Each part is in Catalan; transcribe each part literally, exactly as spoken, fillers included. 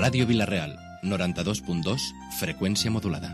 Ràdio Vila-real, noranta-dos punt dos, freqüència modulada.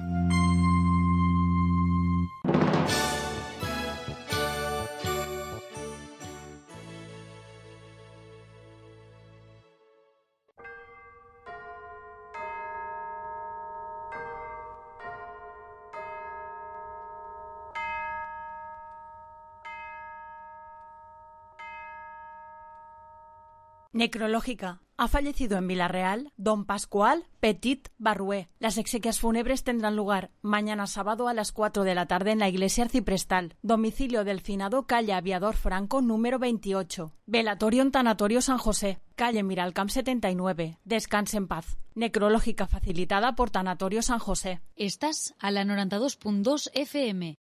Necrológica. Ha fallecido en Vila-real don Pascual Petit Barrué. Las exequias fúnebres tendrán lugar mañana sábado a las cuatro de la tarde en la iglesia arciprestal. Domicilio del finado, calle Aviador Franco, número veintiocho. Velatorio en Tanatorio San José, calle Miralcamp setenta y nueve. Descanse en paz. Necrológica facilitada por Tanatorio San José. Estás a la noranta-dos punt dos F M.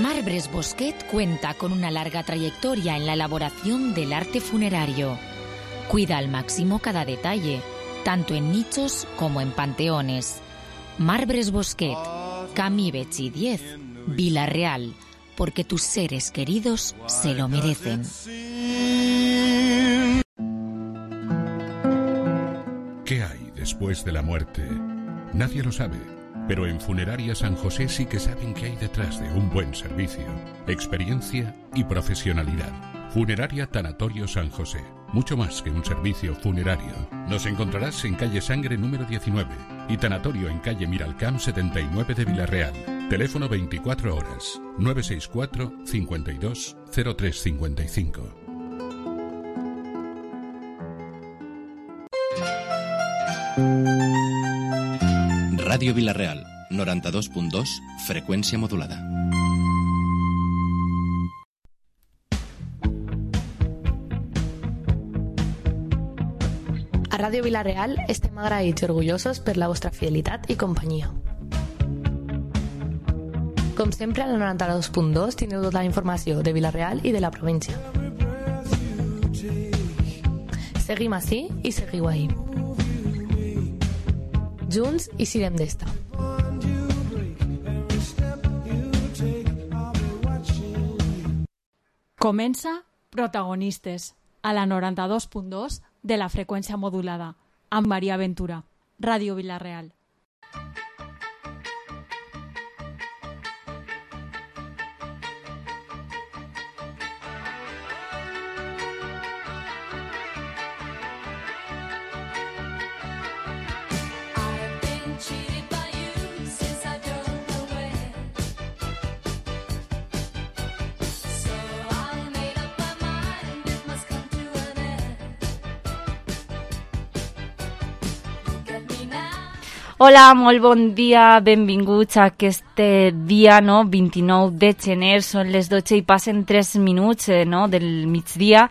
Marbres Bosquet cuenta con una larga trayectoria en la elaboración del arte funerario. Cuida al máximo cada detalle, tanto en nichos como en panteones. Marbres Bosquet, Camí Betxí diez, Vila-real, porque tus seres queridos se lo merecen. ¿Qué hay después de la muerte? Nadie lo sabe. Pero en Funeraria San José sí que saben qué hay detrás de un buen servicio, experiencia y profesionalidad. Funeraria Tanatorio San José, mucho más que un servicio funerario. Nos encontrarás en calle Sangre número diecinueve y Tanatorio en calle Miralcamp setenta y nueve de Vila-real. Teléfono veinticuatro horas, nueve seis cuatro, cincuenta y dos, cero tres cincuenta y cinco. Ràdio Vila-real, noranta-dos punt dos, freqüència modulada. A Ràdio Vila-real estem agraïts i orgullosos per la vostra fidelitat i companyia. Com sempre, a la noranta-dos punt dos teniu tota la informació de Vila-real i de la província. Seguim ací i seguiu ahí. Junts i sirem d'esta. Comença Protagonistes, a la noranta-dos punt dos de la freqüència modulada, amb Maria Ventura, Ràdio Vila-real. Hola, molt bon dia, benvinguts a aquest dia, no? vint-i-nou de gener, són les dotze i passen tres minuts, eh, no? del migdia,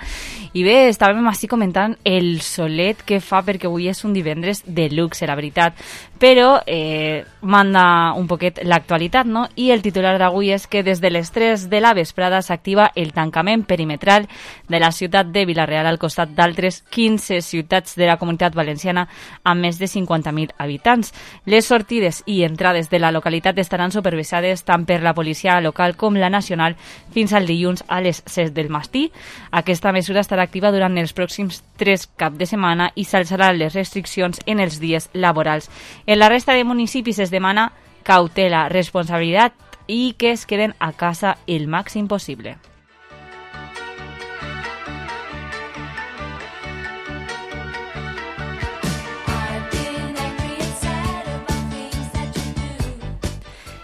i bé, estàvem així comentant el solet que fa, perquè avui és un divendres de luxe, la veritat, però eh, manda un poquet l'actualitat, no? I el titular d'avui és que des de les tres de la vesprada s'activa el tancament perimetral de la ciutat de Vila-real al costat d'altres quinze ciutats de la Comunitat Valenciana amb més de cinquanta mil habitants. Les sortides i entrades de la localitat estaran supervisades tant per la policia local com la nacional fins al dilluns a les set del matí. Aquesta mesura estarà activa durant els pròxims tres caps de setmana i s'alçaran les restriccions en els dies laborals. En la resta de municipis es demana cautela, responsabilitat i que es queden a casa el màxim possible.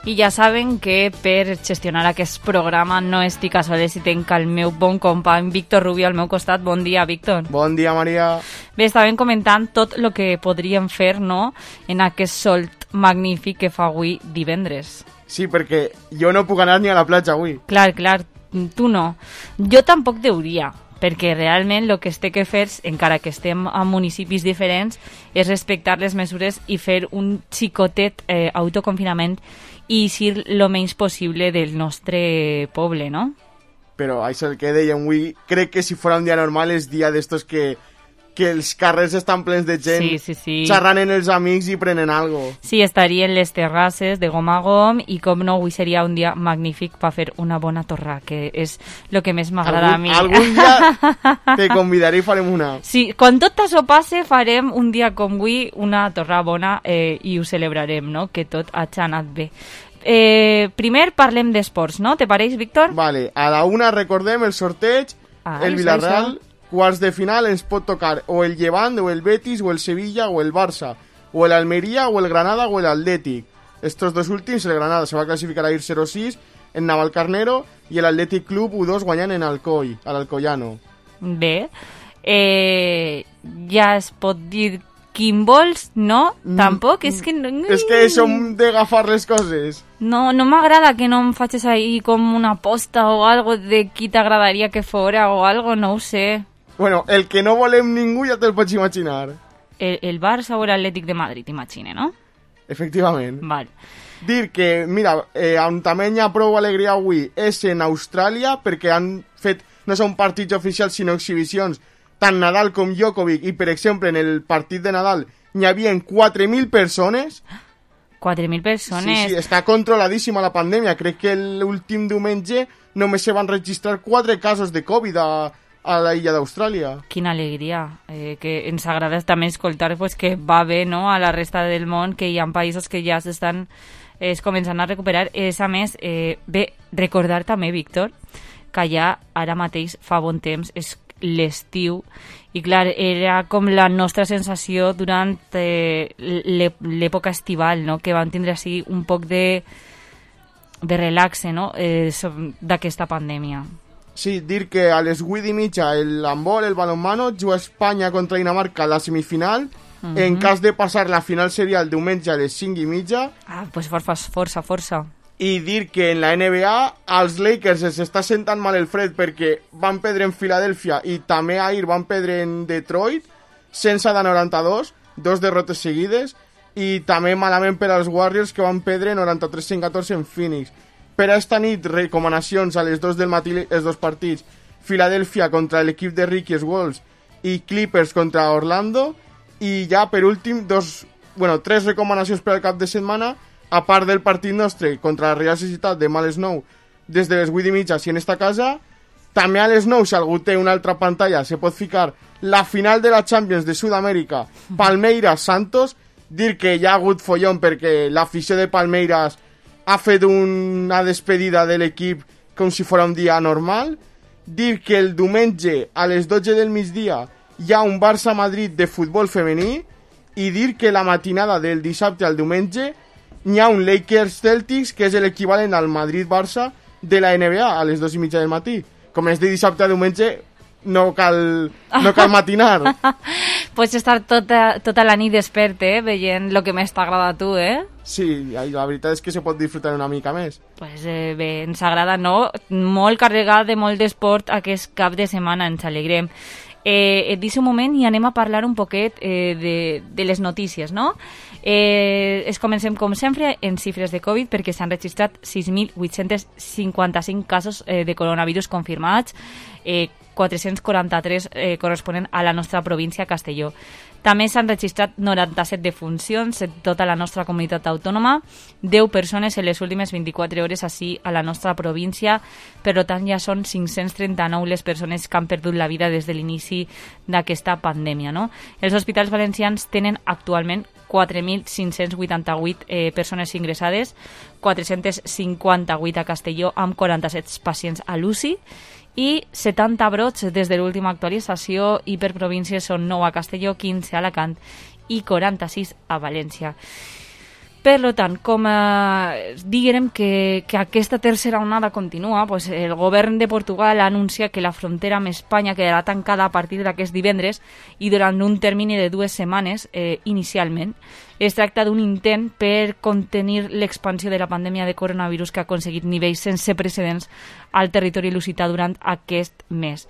I ja saben que per gestionar aquest programa no estic a soles i tenc el meu bon company Víctor Rubio al meu costat. Bon dia, Víctor. Bon dia, Maria. Bé, estàvem comentant tot el que podríem fer, no?, en aquest sol magnífic que fa avui divendres. Sí, perquè jo no puc anar ni a la platja avui. Clar, clar, tu no. Jo tampoc deuria, perquè realment el que es té que fer, encara que estem a municipis diferents, és respectar les mesures i fer un xicotet eh, autoconfinament i eixir el menys possible del nostre poble, no? Però això el que dèiem avui, crec que si fos un dia normal és dia d'estos que que els carrers estan plens de gent, sí, sí, sí. xerrant en els amics i prenen algo. Sí, estarien les terrasses de gom a gom i com no, avui seria un dia magnífic per fer una bona torra, que és el que més m'agrada a mi. Algun dia te convidaré i farem una. Sí, quan tot això passe farem un dia com avui una torra bona eh, i ho celebrarem, no? Que tot hagi anat bé. Eh, primer parlem d'esports, no? Te pareix, Víctor? Vale, a la una recordem el sorteig, ah, el Villarreal, quarts de final ens pot tocar o el Llevant, o el Betis, o el Sevilla, o el Barça, o el Almería, o el Granada, o el Atlètic. Estos dos últims, el Granada se va a clasificar a ir cero sis en Navalcarnero i el Athletic Club u dos guanyant en Alcoi, a l'Alcoyano. Bé, eh, ja es pot dir quin vols, no? Mm, Tampoc, és que... No, és que som d'agafar les coses. No, no m'agrada que no em facis ahí com una aposta o algo de qui t'agradaria que fora o algo, no ho sé. Bueno, el que no volem ningú ja te'l pots imaginar. El, el Barça o l'Atlètic de Madrid, imagine, no? Efectivament. Vale. Dir que, mira, eh, on també hi ha prou alegria avui és en Austràlia, perquè han fet, no són partits oficials, sinó exhibicions, tant Nadal com Djokovic, i per exemple en el partit de Nadal n'hi havia quatre mil persones. quatre mil persones? Sí, sí, està controladíssima la pandèmia. Crec que l'últim diumenge només se van registrar quatre casos de Covid a, a la illa d'Austràlia. Quina alegria, eh, que ens agrada també escoltar pues, que va bé, no?, a la resta del món, que hi ha països que ja s'estan es començant a recuperar. És, a més, eh, bé, recordar també, Víctor, que ja ara mateix fa bon temps és l'estiu i clar, era com la nostra sensació durant eh, l'època estival, no?, que vam tindre així un poc de, de relaxe, no?, eh, d'aquesta pandèmia. Sí, dir que a les vuit i mitja el handbol, el balonmano, juga Espanya contra Dinamarca a la semifinal. Uh-huh. En cas de passar, la final seria el diumenge a les cinc i mitja. Ah, doncs força, força, força. I dir que en la N B A als Lakers es està sentant mal el fred perquè van perdre en Filadèlfia i també ahir van perdre en Detroit sense de noranta-dos, dos derrotes seguides, i també malament per als Warriors que van perdre noranta-tres a cent catorze en Phoenix. Per a esta nit, recomanacions a les dos del matí, els dos partits: Filadèlfia contra l'equip de Ricky Wolves i Clippers contra Orlando. I ja per últim, dos, bueno, tres recomanacions per al cap de setmana, a part del partit nostre contra la Real Societat de Mal Snow des de les vuit i mitja si en esta casa. També a les nou, si algú té una altra pantalla, se pot ficar la final de la Champions de Sud-amèrica, Palmeiras-Santos. Dir que hi ha hagut follon perquè l'afició de Palmeiras ha fet una despedida de l'equip com si fos un dia normal. Dir que el diumenge a les dotze del migdia hi ha un Barça-Madrid de futbol femení. I dir que la matinada del dissabte al diumenge hi ha un Lakers-Celtics, que és l'equivalent al Madrid-Barça de la N B A, a les dos i mitja del matí. Com és de dissabte a diumenge, no cal, no cal matinar. Pots estar tota, tota la nit despert, eh, veient el que més t'agrada a tu, eh? Sí, la veritat és que se pot disfrutar una mica més. Pues eh, bé, ens agrada, no? Molt carregat de molt d'esport aquest cap de setmana, ens alegrem. Eh, et deixo un moment i anem a parlar un poquet eh, de, de les notícies, no? Eh, es comencem, com sempre, en xifres de Covid, perquè s'han registrat sis mil vuit-cents cinquanta-cinc casos eh, de coronavirus confirmats, eh, quatre-cents quaranta-tres eh, corresponen a la nostra província, Castelló. També s'han registrat noranta-set defuncions en tota la nostra comunitat autònoma, deu persones en les últimes vint-i-quatre hores així a la nostra província. Per tant, ja són cinc-cents trenta-nou les persones que han perdut la vida des de l'inici d'aquesta pandèmia, no? Els hospitals valencians tenen actualment quatre mil cinc-cents vuitanta-vuit eh, persones ingressades, quatre-cents cinquanta-vuit a Castelló amb quaranta-set pacients a l'U C I, i setanta brots des de l'última actualització, i per províncies són nou a Castelló, quinze a Alacant i quaranta-sis a València. Per tant, com eh, diguem que, que aquesta tercera onada continua, pues el govern de Portugal ha anunciat que la frontera amb Espanya quedarà tancada a partir d'aquest divendres i durant un termini de dues setmanes eh, inicialment. Es tracta d'un intent per contenir l'expansió de la pandèmia de coronavirus que ha aconseguit nivells sense precedents al territori lusità durant aquest mes.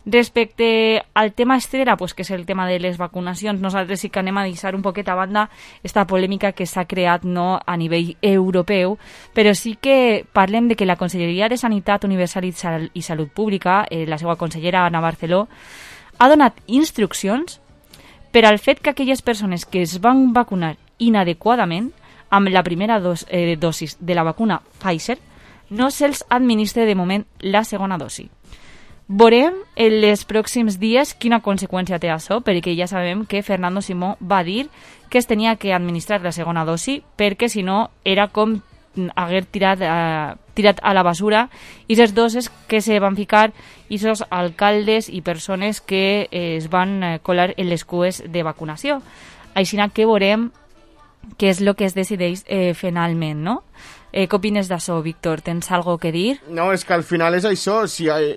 Respecte al tema estrella, pues, que és el tema de les vacunacions, nosaltres sí que anem a deixar un poquet a banda esta polèmica que s'ha creat, no, a nivell europeu, però sí que parlem de que la Conselleria de Sanitat Universal i Salut Pública, eh, la seva consellera Ana Barceló, ha donat instruccions per al fet que aquelles persones que es van vacunar inadequadament amb la primera dos, eh, dosis de la vacuna Pfizer no se'ls administre de moment la segona dosi. Veurem en els pròxims dies quina conseqüència té això, perquè ja sabem que Fernando Simó va dir que es tenia que administrar la segona dosi perquè si no era com haver tirat, eh, tirat a la basura i les doses que se van ficar aquests alcaldes i persones que eh, es van eh, colar en les cues de vacunació. Així que veurem què és el que es decideix eh, finalment, no? Eh, què opines d'això, Víctor? Tens alguna cosa que dir? No, és que al final és això, si hay...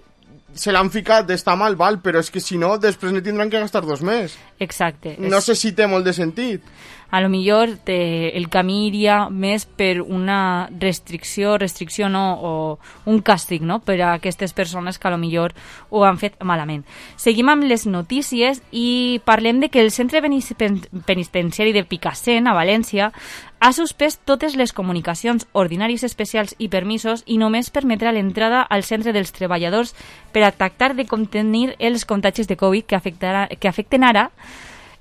se l'han ficat, està mal, val, però és que si no, després ne tindran que gastar dos més. Exacte. No és... sé si té molt de sentit. A lo millor te, el camí iria més per una restricció, restricció no, o un càstig, no?, per a aquestes persones que a lo millor ho han fet malament. Seguim amb les notícies i parlem de que el centre penitenciari de Picassent, a València, ha suspès totes les comunicacions, ordinaris especials i permisos i només permetrà l'entrada al centre dels treballadors per a tractar de contenir els contagis de Covid que, afectarà, que afecten ara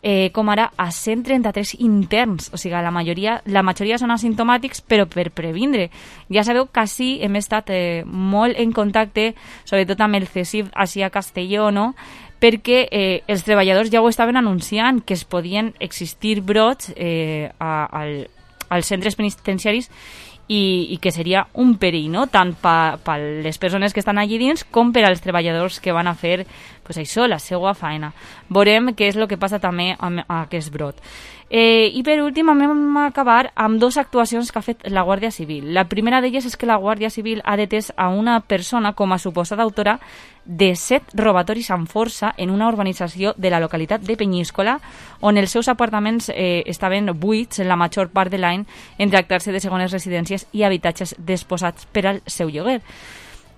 Eh, com ara a cent trenta-tres interns, o sigui, la majoria, la majoria són asimptomàtics, però per previndre. Ja sabeu que sí, hem estat eh, molt en contacte, sobretot amb el C S I V així a Castelló, no?, perquè eh, els treballadors ja ho estaven anunciant, que es podien existir brots eh, a, al, als centres penitenciaris i, i que seria un perill, no?, tant per pa les persones que estan allí dins com per als treballadors que van a fer pues això, la seva feina. Veurem què és el que passa també amb aquest brot. Eh, I per últim vam acabar amb dues actuacions que ha fet la Guàrdia Civil. La primera d'elles és que la Guàrdia Civil ha detès a una persona com a suposada autora de set robatoris amb força en una urbanització de la localitat de Penyíscola, on els seus apartaments eh, estaven buits en la major part de l'any en tractar-se de segones residències i habitatges disposats per al seu lloguer.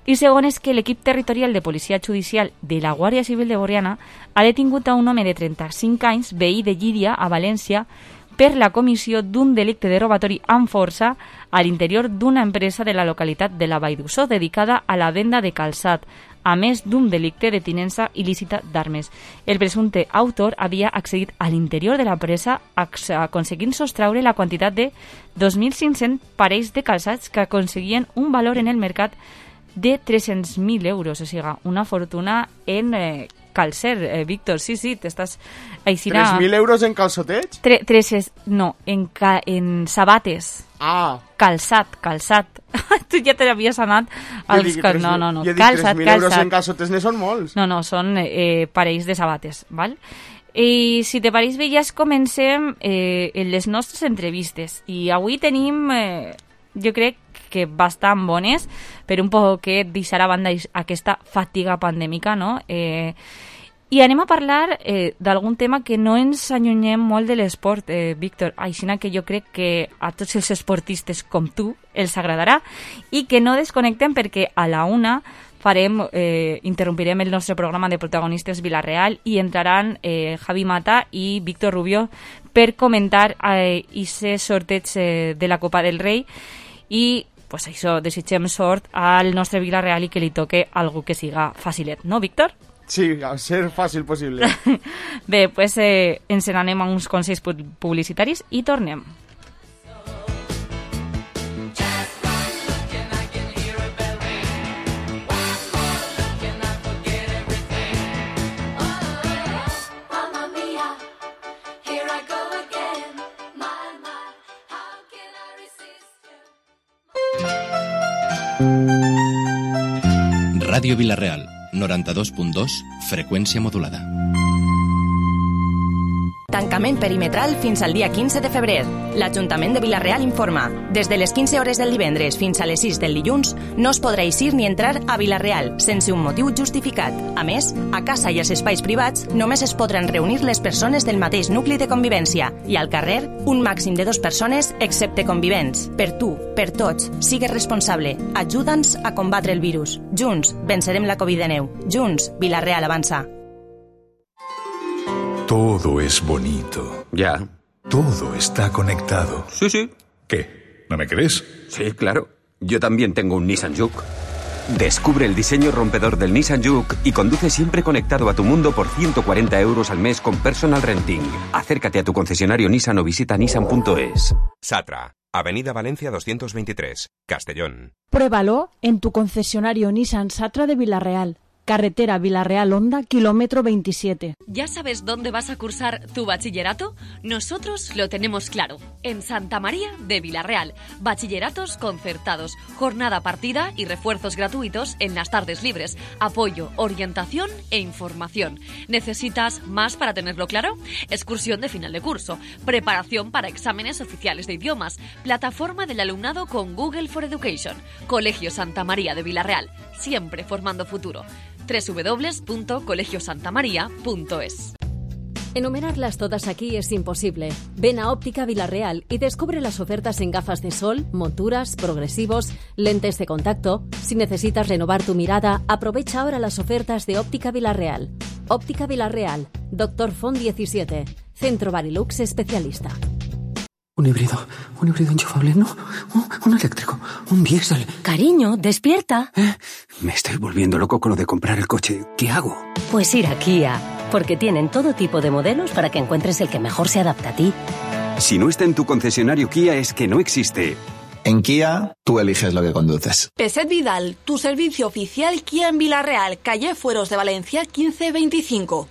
I segon és que l'equip territorial de policia judicial de la Guàrdia Civil de Borriana ha detingut a un home de trenta-cinc anys, veí de Llíria, a València, per la comissió d'un delicte de robatori amb força a l'interior d'una empresa de la localitat de la Vall d'Uixó dedicada a la venda de calçat, a més d'un delicte de tinença il·lícita d'armes. El presumpte autor havia accedit a l'interior de la presa aconseguint sostraure la quantitat de dos mil cinc-cents parells de calçats que aconseguien un valor en el mercat de tres-cents mil euros, o sigui, una fortuna en eh, calcer, eh, Víctor, sí, sí, t'estàs... Aixina... tres mil euros en calçotets? Tre, tres, no, en, ca, en sabates. Ah. Calçat, calçat. Tu ja te l'havies anat als... Dic, no, no, no, jo calçat, dic, tres mil euros calçat. En calçotets ne són molts. No, no, són eh, parells de sabates, val? I si te pareix bé, ja comencem eh, en les nostres entrevistes. I avui tenim, eh, jo crec, que bastant bones, per un poc que deixarà a banda aquesta fatiga pandèmica, no? Eh, I anem a parlar eh, d'algun tema que no ens allunyem molt de l'esport, eh, Víctor, així que jo crec que a tots els esportistes com tu els agradarà i que no desconnectem perquè a la una farem, eh, interrompirem el nostre programa de protagonistes Vila-real i entraran eh, Javi Mata i Víctor Rubio per comentar aquest eh, sorteig eh, de la Copa del Rei i pues això, desitgem sort al nostre Vila-real i que li toque algú que siga facilet, no, Víctor? Sí, a ser fàcil possible. Bé, pues eh, ens n'anem a uns consells publicitaris i tornem. Ràdio Vila-real, noranta-dos punt dos, freqüència modulada. Tancament perimetral fins al dia quinze de febrer. L'Ajuntament de Vila-real informa. Des de les quinze hores del divendres fins a les sis del dilluns no es podrà eixir ni entrar a Vila-real sense un motiu justificat. A més, a casa i als espais privats només es podran reunir les persones del mateix nucli de convivència i al carrer un màxim de dues persones excepte convivents. Per tu, per tots, sigues responsable. Ajuda'ns a combatre el virus. Junts vencerem la Covid diecinueve. Junts, Vila-real avança. Todo es bonito. Ya. Todo está conectado. Sí, sí. ¿Qué? ¿No me crees? Sí, claro. Yo también tengo un Nissan Juke. Descubre el diseño rompedor del Nissan Juke y conduce siempre conectado a tu mundo por ciento cuarenta euros al mes con personal renting. Acércate a tu concesionario Nissan o visita nissan punto es. Satra, Avenida Valencia doscientos veintitrés, Castellón. Pruébalo en tu concesionario Nissan Satra de Villarreal. Carretera Villarreal-Honda, kilómetro veintisiete. ¿Ya sabes dónde vas a cursar tu bachillerato? Nosotros lo tenemos claro. En Santa María de Villarreal. Bachilleratos concertados, jornada partida y refuerzos gratuitos en las tardes libres. Apoyo, orientación e información. ¿Necesitas más para tenerlo claro? Excursión de final de curso. Preparación para exámenes oficiales de idiomas. Plataforma del alumnado con Google for Education. Colegio Santa María de Villarreal. Siempre formando futuro. doble u doble u doble u punto colegio santa maría punto es. Enumerarlas todas aquí es imposible. Ven a Óptica Villarreal y descubre las ofertas en gafas de sol, monturas, progresivos, lentes de contacto. Si necesitas renovar tu mirada, aprovecha ahora las ofertas de Óptica Villarreal. Óptica Villarreal, Doctor Font diecisiete, Centro Barilux especialista. Un híbrido, un híbrido enchufable, no, un, un eléctrico, un diésel. Cariño, despierta. ¿Eh? Me estoy volviendo loco con lo de comprar el coche. ¿Qué hago? Pues ir a Kia, porque tienen todo tipo de modelos para que encuentres el que mejor se adapta a ti. Si no está en tu concesionario Kia es que no existe. En Kia, tú eliges lo que conduces. Peset Vidal, tu servicio oficial Kia en Villarreal, calle Fueros de Valencia quince veinticinco.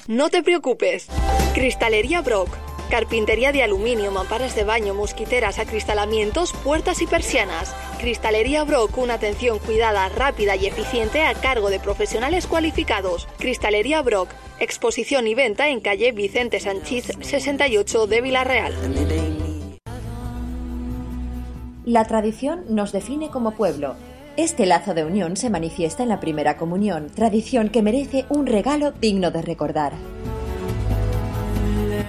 No te preocupes. Cristalería Brock. Carpintería de aluminio, mamparas de baño, mosquiteras, acristalamientos, puertas y persianas. Cristalería Brock, una atención cuidada, rápida y eficiente a cargo de profesionales cualificados. Cristalería Brock, exposición y venta en calle Vicente Sanchís sesenta y ocho de Villarreal. La tradición nos define como pueblo. Este lazo de unión se manifiesta en la primera comunión, tradición que merece un regalo digno de recordar.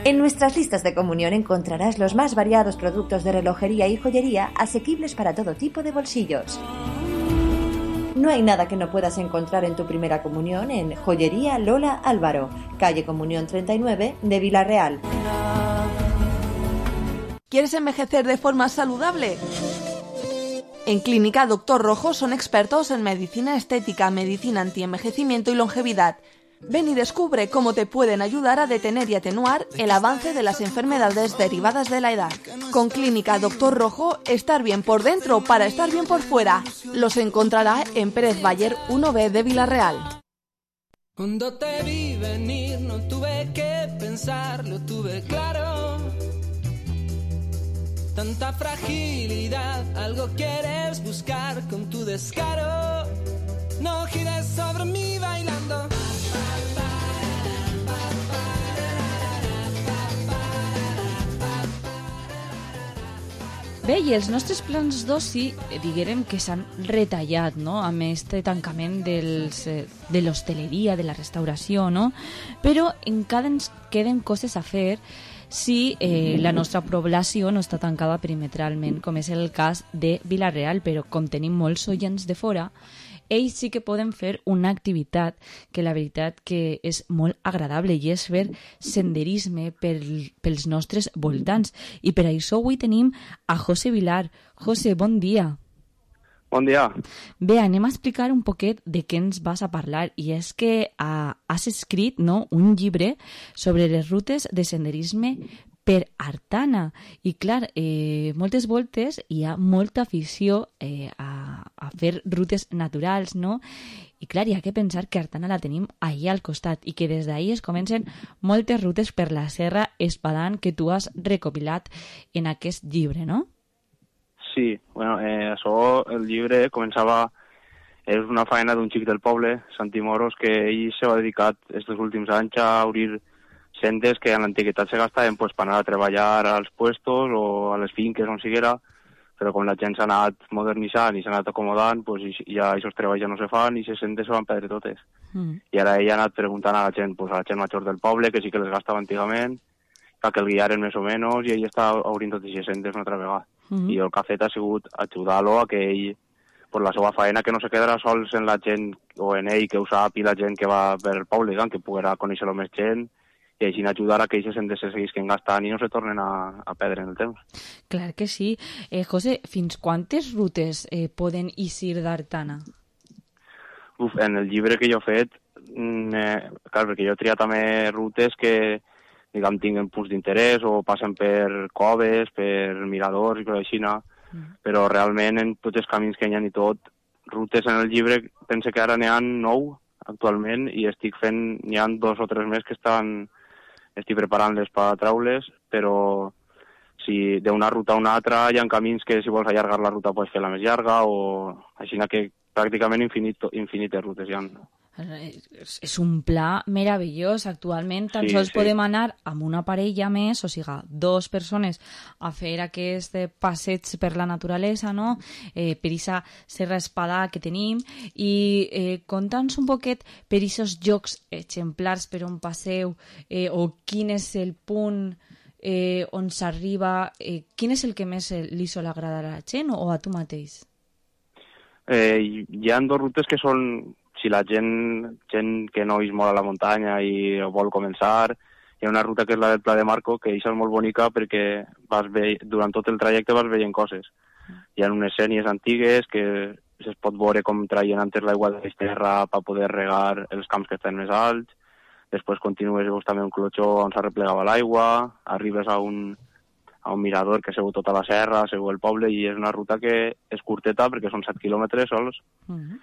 En nuestras listas de comunión encontrarás los más variados productos de relojería y joyería asequibles para todo tipo de bolsillos. No hay nada que no puedas encontrar en tu primera comunión en Joyería Lola Álvaro, calle Comunión treinta y nueve de Villarreal. ¿Quieres envejecer de forma saludable? En Clínica Doctor Rojo son expertos en medicina estética, medicina antienvejecimiento y longevidad. Ven y descubre cómo te pueden ayudar a detener y atenuar el avance de las enfermedades derivadas de la edad. Con Clínica Doctor Rojo, estar bien por dentro para estar bien por fuera. Los encontrará en Pérez Bayer uno B de Villarreal. Cuando te vi venir no tuve que pensar, lo tuve claro. Tanta fragilidad, algo quieres buscar con tu descaro. No gires sobre mí bailando. Bé, i els nostres plans d'oci, diguérem que s'han retallat, no?, amb este tancament dels, de l'hostaleria, de la restauració, no? Però encara ens queden coses a fer si eh, la nostra població no està tancada perimetralment, com és el cas de Villarreal, però com tenim molts oients de fora, ells sí que poden fer una activitat que la veritat que és molt agradable i és fer senderisme per, pels nostres voltants. I per això avui tenim a José Vilar. José, bon dia. Bon dia. Bé, anem a explicar un poquet de què ens vas a parlar. I és que ah, has escrit, no?, un llibre sobre les rutes de senderisme per Artana. I clar, eh, moltes voltes hi ha molta afició eh, a, a fer rutes naturals, no? I clar, hi ha que pensar que Artana la tenim allà al costat i que des d'ahir es comencen moltes rutes per la Serra Espadan que tu has recopilat en aquest llibre, no? Sí, bueno, eh, això, el llibre començava, és una feina d'un xic del poble, Santi Moros, que ell s'ha dedicat aquests últims anys a obrir sendes que en l'antiguitat se gastaven pues, per anar a treballar als puestos o a les finques on siguera, però com la gent s'ha anat modernitzant i s'ha anat acomodant, pues, ja aquests treballs ja no se fan i les sendes se van perdre totes. Mm. I ara ell ha anat preguntant a la gent, pues, a la gent major del poble, que sí que les gastava antigament, que el guiaren més o menys, i ell està obrint totes aquestes sendes una altra vegada. Mm. I el que ha fet ha sigut ajudar-lo a que ell, per la seva feina, que no se quedarà sols en la gent o en ell, que ho sap, i la gent que va per el poble, que poguerà conèixer-lo més gent, i així ajudar a que aquestes sendes se seguisquen gastant i no se tornen a, a perdre en el temps. Clar que sí. Eh, José, fins quantes rutes eh, poden eixir d'Artana? Uf, en el llibre que jo he fet, eh, clar, perquè jo he triat també rutes que, diguem, tinguen punts d'interès o passen per coves, per miradors i coses així, no? Mm. Però realment en tots els camins que hi ha i tot, rutes en el llibre, pense que ara n'hi ha nou actualment i estic fent, n'hi ha dos o tres més que estan, estic preparant-les per traules, però si d'una ruta a una altra hi ha camins que si vols allargar la ruta pots fer la més llarga o així que pràcticament infinit, infinites rutes hi ha. És un pla meravellós. Actualment tan Sí, sols sí. podem anar amb una parella més, o sigui, dos persones a fer aquest passeig per la naturalesa, no? Eh, per aquesta serra espada que tenim. I eh, conta'ns un poquet per aquests jocs exemplars per on passeu, eh, o quin és el punt eh, on s'arriba, eh, quin és el que més li sol agradar a la gent o a tu mateix? Eh, hi ha dues rutes que són, si la gent, gent que no és molt a la muntanya i vol començar, hi ha una ruta que és la del Pla de Marco, que és molt bonica perquè vas ve, durant tot el trajecte vas veient coses. Hi ha unes sènies antigues que es pot veure com traien antes l'aigua de la terra per poder regar els camps que estan més alts, després continues i veus també un clotxó on s'arreplegava l'aigua, arribes a un, a un mirador que seu tota la serra, seu el poble, i és una ruta que és curteta perquè són set quilòmetres sols, Mm-hmm.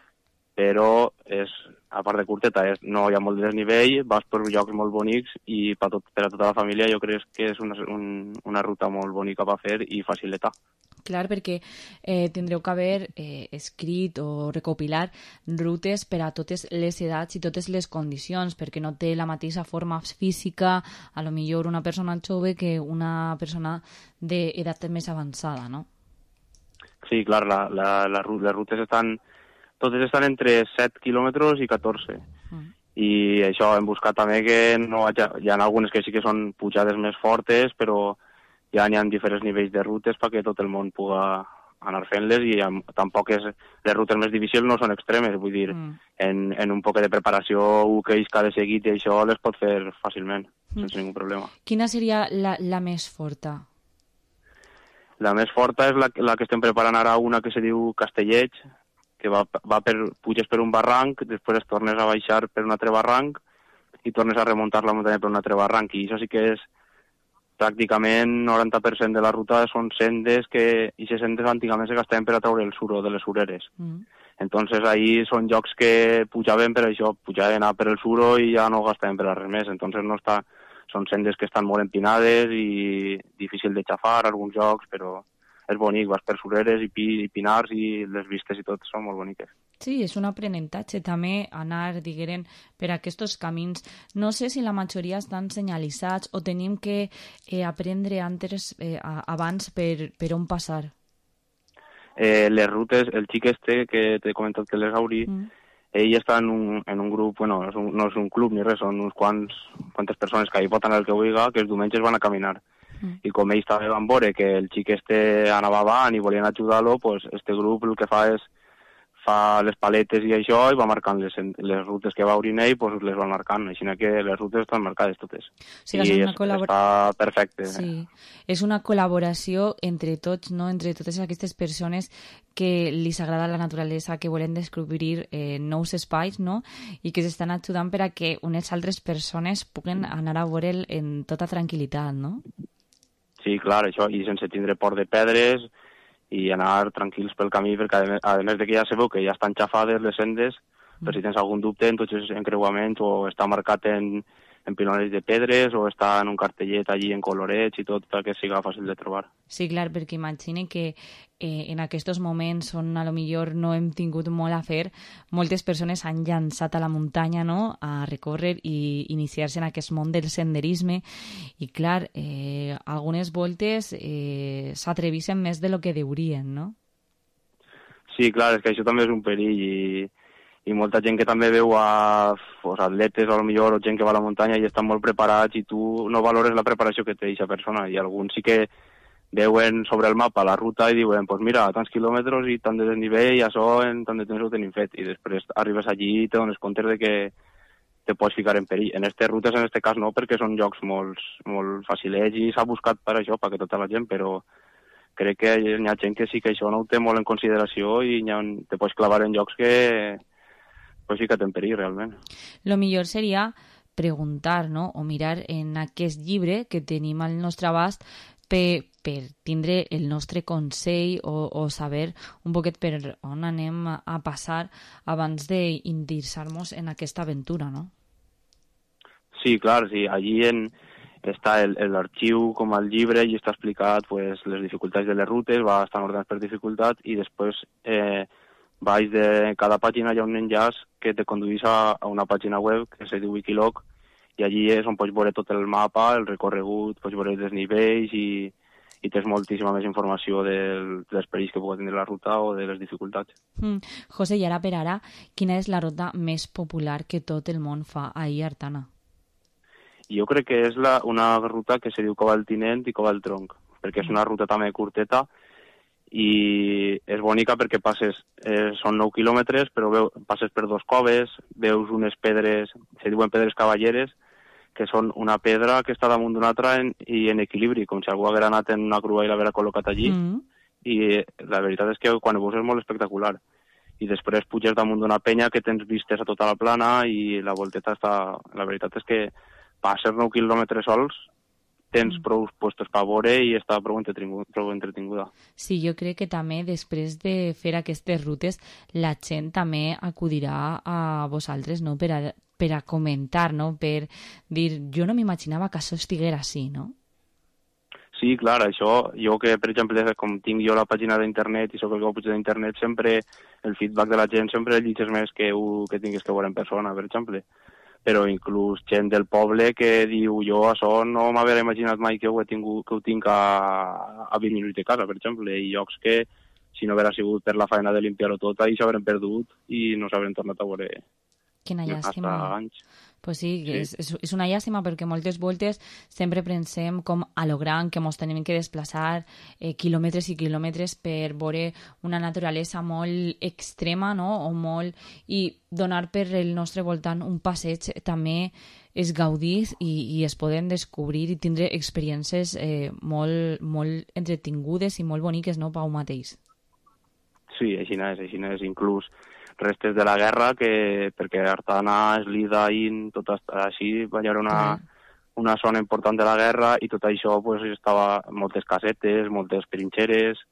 però és, a part de curteta, és, no hi ha molt de desnivell, vas per llocs molt bonics i per, tot, per a tota la família jo crec que és una, un, una ruta molt bonica per fer i facilita. Clar, perquè eh, tindreu que haver eh, escrit o recopilar rutes per a totes les edats i totes les condicions, perquè no té la mateixa forma física, a lo millor una persona jove que una persona d'edat més avançada, no? Sí, clar, la, la, la, les rutes estan, totes estan entre set quilòmetres i catorze. Mm. I això hem buscat també que no hi ha, hi ha algunes que sí que són pujades més fortes, però ja n'hi ha diferents nivells de rutes perquè tot el món puga anar fent-les i amb, tampoc és, les rutes més difícils no són extremes, vull dir, mm. en, en un poc de preparació, un que és cada seguit i això les pot fer fàcilment, mm. sense ningú problema. Quina seria la, la més forta? La més forta és la, la que estem preparant ara, una que se diu Castellet, que va, va per, puges per un barranc, després es tornes a baixar per un altre barranc i tornes a remuntar la muntanya per un altre barranc, i això sí que és pràcticament noranta per cent de la ruta són sendes que, i aquestes sendes antigament se gastaven per a treure el suro de les sureres. Mm. Entonces ahí són llocs que pujaven per això, pujaven a per el suro i ja no gastaven per a res més, entonces no està, són sendes que estan molt empinades i difícil de xafar alguns llocs, però és bonic, vas per sureres i, pi, i pinars i les vistes i tot són molt boniques. Sí, és un aprenentatge també anar, diguem, per aquests camins. No sé si la majoria estan senyalitzats o tenim que eh, aprendre antes, eh, abans per, per on passar. Eh, les rutes, el xic este que t'he comentat que les Auri, mm. ell està en un, en un grup, bueno, no és un, no és un club ni res, són uns quants, quantes persones que hi pot anar el que vulgui, que els diumenges van a caminar. Mm. I com ells també van veure que el xic este anava avant i volien ajudar-lo, pues este grup el que fa és fa les paletes i això i va marcant les, les rutes que va obrir ell, pues les va marcant, així que les rutes estan marcades totes. Sí, i és és, col·labor... està perfecte. Sí, és una col·laboració entre tots, no? Entre totes aquestes persones que li agrada la naturalesa, que volen descobrir eh, nous espais, no? I que s'estan ajudant per a que unes altres persones puguen anar a veure'l en tota tranquil·litat, no? Sí, clar, això, i sense tindre por de pedres i anar tranquils pel camí, perquè a més, a més de que ja sabeu que ja estan xafades les sendes, mm. però si tens algun dubte en tots els encreuaments o està marcat en, en piloners de pedres o està en un cartellet allí en colorets i tot perquè siga fàcil de trobar. Sí, clar, perquè imagine que eh, en aquests moments on a lo millor no hem tingut molt a fer, moltes persones han llançat a la muntanya, no?, a recórrer i iniciar-se en aquest món del senderisme i clar, eh, algunes voltes eh, s'atreveixen més de lo que deurien, no? Sí, clar, és que això també és un perill i, i molta gent que també veu a pues, atletes o millor o gent que va a la muntanya i estan molt preparats i tu no valores la preparació que té aquesta persona i alguns sí que veuen sobre el mapa la ruta i diuen, pues mira, tants quilòmetres i tant de desnivell i això en tant de temps ho tenim fet i després arribes allí i te dones compte de que te pots ficar en perill. En aquestes rutes, en aquest cas no, perquè són llocs molt, molt facilets i s'ha buscat per això, perquè tota la gent, però crec que hi ha gent que sí que això no ho té molt en consideració i ha, te pots clavar en llocs que pots ficar en perill, realment. Lo millor seria preguntar, no?, o mirar en aquest llibre que tenim al nostre abast per, per tindre el nostre consell o, o saber un poquet per on anem a passar abans d'indirsar-nos en aquesta aventura, no? Sí, clar, sí. Allí en, està l'arxiu com el llibre i està explicat pues, les dificultats de les rutes, va estar ordenat per dificultat i després eh, baix de cada pàgina hi ha un enllaç que te conduís a, a una pàgina web que se diu Wikiloc i allí és on pots veure tot el mapa, el recorregut, pots veure els desnivells i, i tens moltíssima més informació del, dels perills que pugui tenir la ruta o de les dificultats. Mm. José, i ara per ara, quina és la ruta més popular que tot el món fa ahir a Artana? Jo crec que és la, una ruta que se diu Cova del Tinent i Cova del Tronc, perquè és una ruta també curteta i és bonica perquè passes, eh, són nou quilòmetres, però veu, passes per dos coves, veus unes pedres, se diuen pedres cavalleres, que són una pedra que està damunt d'una altra en, i en equilibri, com si algú haguera anat en una grua i l'haguera col·locat allí, mm. i la veritat és que quan ho veus és molt espectacular. I després puges damunt d'una penya que tens vistes a tota la plana i la volteta està... La veritat és que passes nou quilòmetres sols, tens prou puestos per veure i està prou entretinguda. Sí, jo crec que també després de fer aquestes rutes la gent també acudirà a vosaltres, no?, per a, per a comentar, no?, per dir, jo no m'imaginava que això estiguera així, no? Sí, clar, això, jo que, per exemple, com tinc jo la pàgina d'internet i sóc el que ho puig d'internet, sempre el feedback de la gent sempre el llitges més que, que tinguis que veure en persona, per exemple. Però inclús gent del poble que diu jo això no m'havia imaginat mai que ho, he tingut, que ho tinc a, a vint minuts de casa, per exemple, i llocs que si no haguera sigut per la feina de limpiar-ho tot, ahir s'haurem perdut i no s'haurem tornat a veure. Quina llàstima. Anys. Pues sí, sí. És, és, és una llàstima perquè moltes voltes sempre pensem com a lo gran que ens tenim que desplaçar eh, quilòmetres i quilòmetres per veure una naturalesa molt extrema, no?, o molt... i donar per el nostre voltant un passeig també és gaudir i, i es poden descobrir i tindre experiències eh, molt, molt entretingudes i molt boniques, no?, Pau mateix. Sí, així és, així és, inclús restes de la guerra, que perquè Artana, Eslida, In, tot així, va haver una, una zona important de la guerra i tot això pues, estava moltes casetes, moltes trinxeres,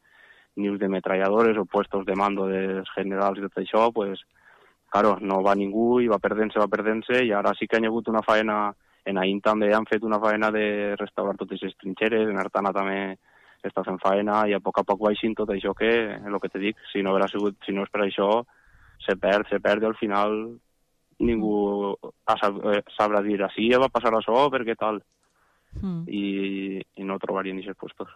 nius de metralladores o puestos de mando dels generals i tot això, pues, claro, no va ningú i va perdent-se, va perdent-se i ara sí que hi ha hagut una faena, en Ain també han fet una faena de restaurar totes les trinxeres, en Artana també està fent faena i a poc a poc baixin tot això que, el que te dic, si no haguera sigut, si no és per això, se perd, se perd i al final ningú sabrà dir així va passar això, perquè tal mm. I, i no trobarien aquests puestos.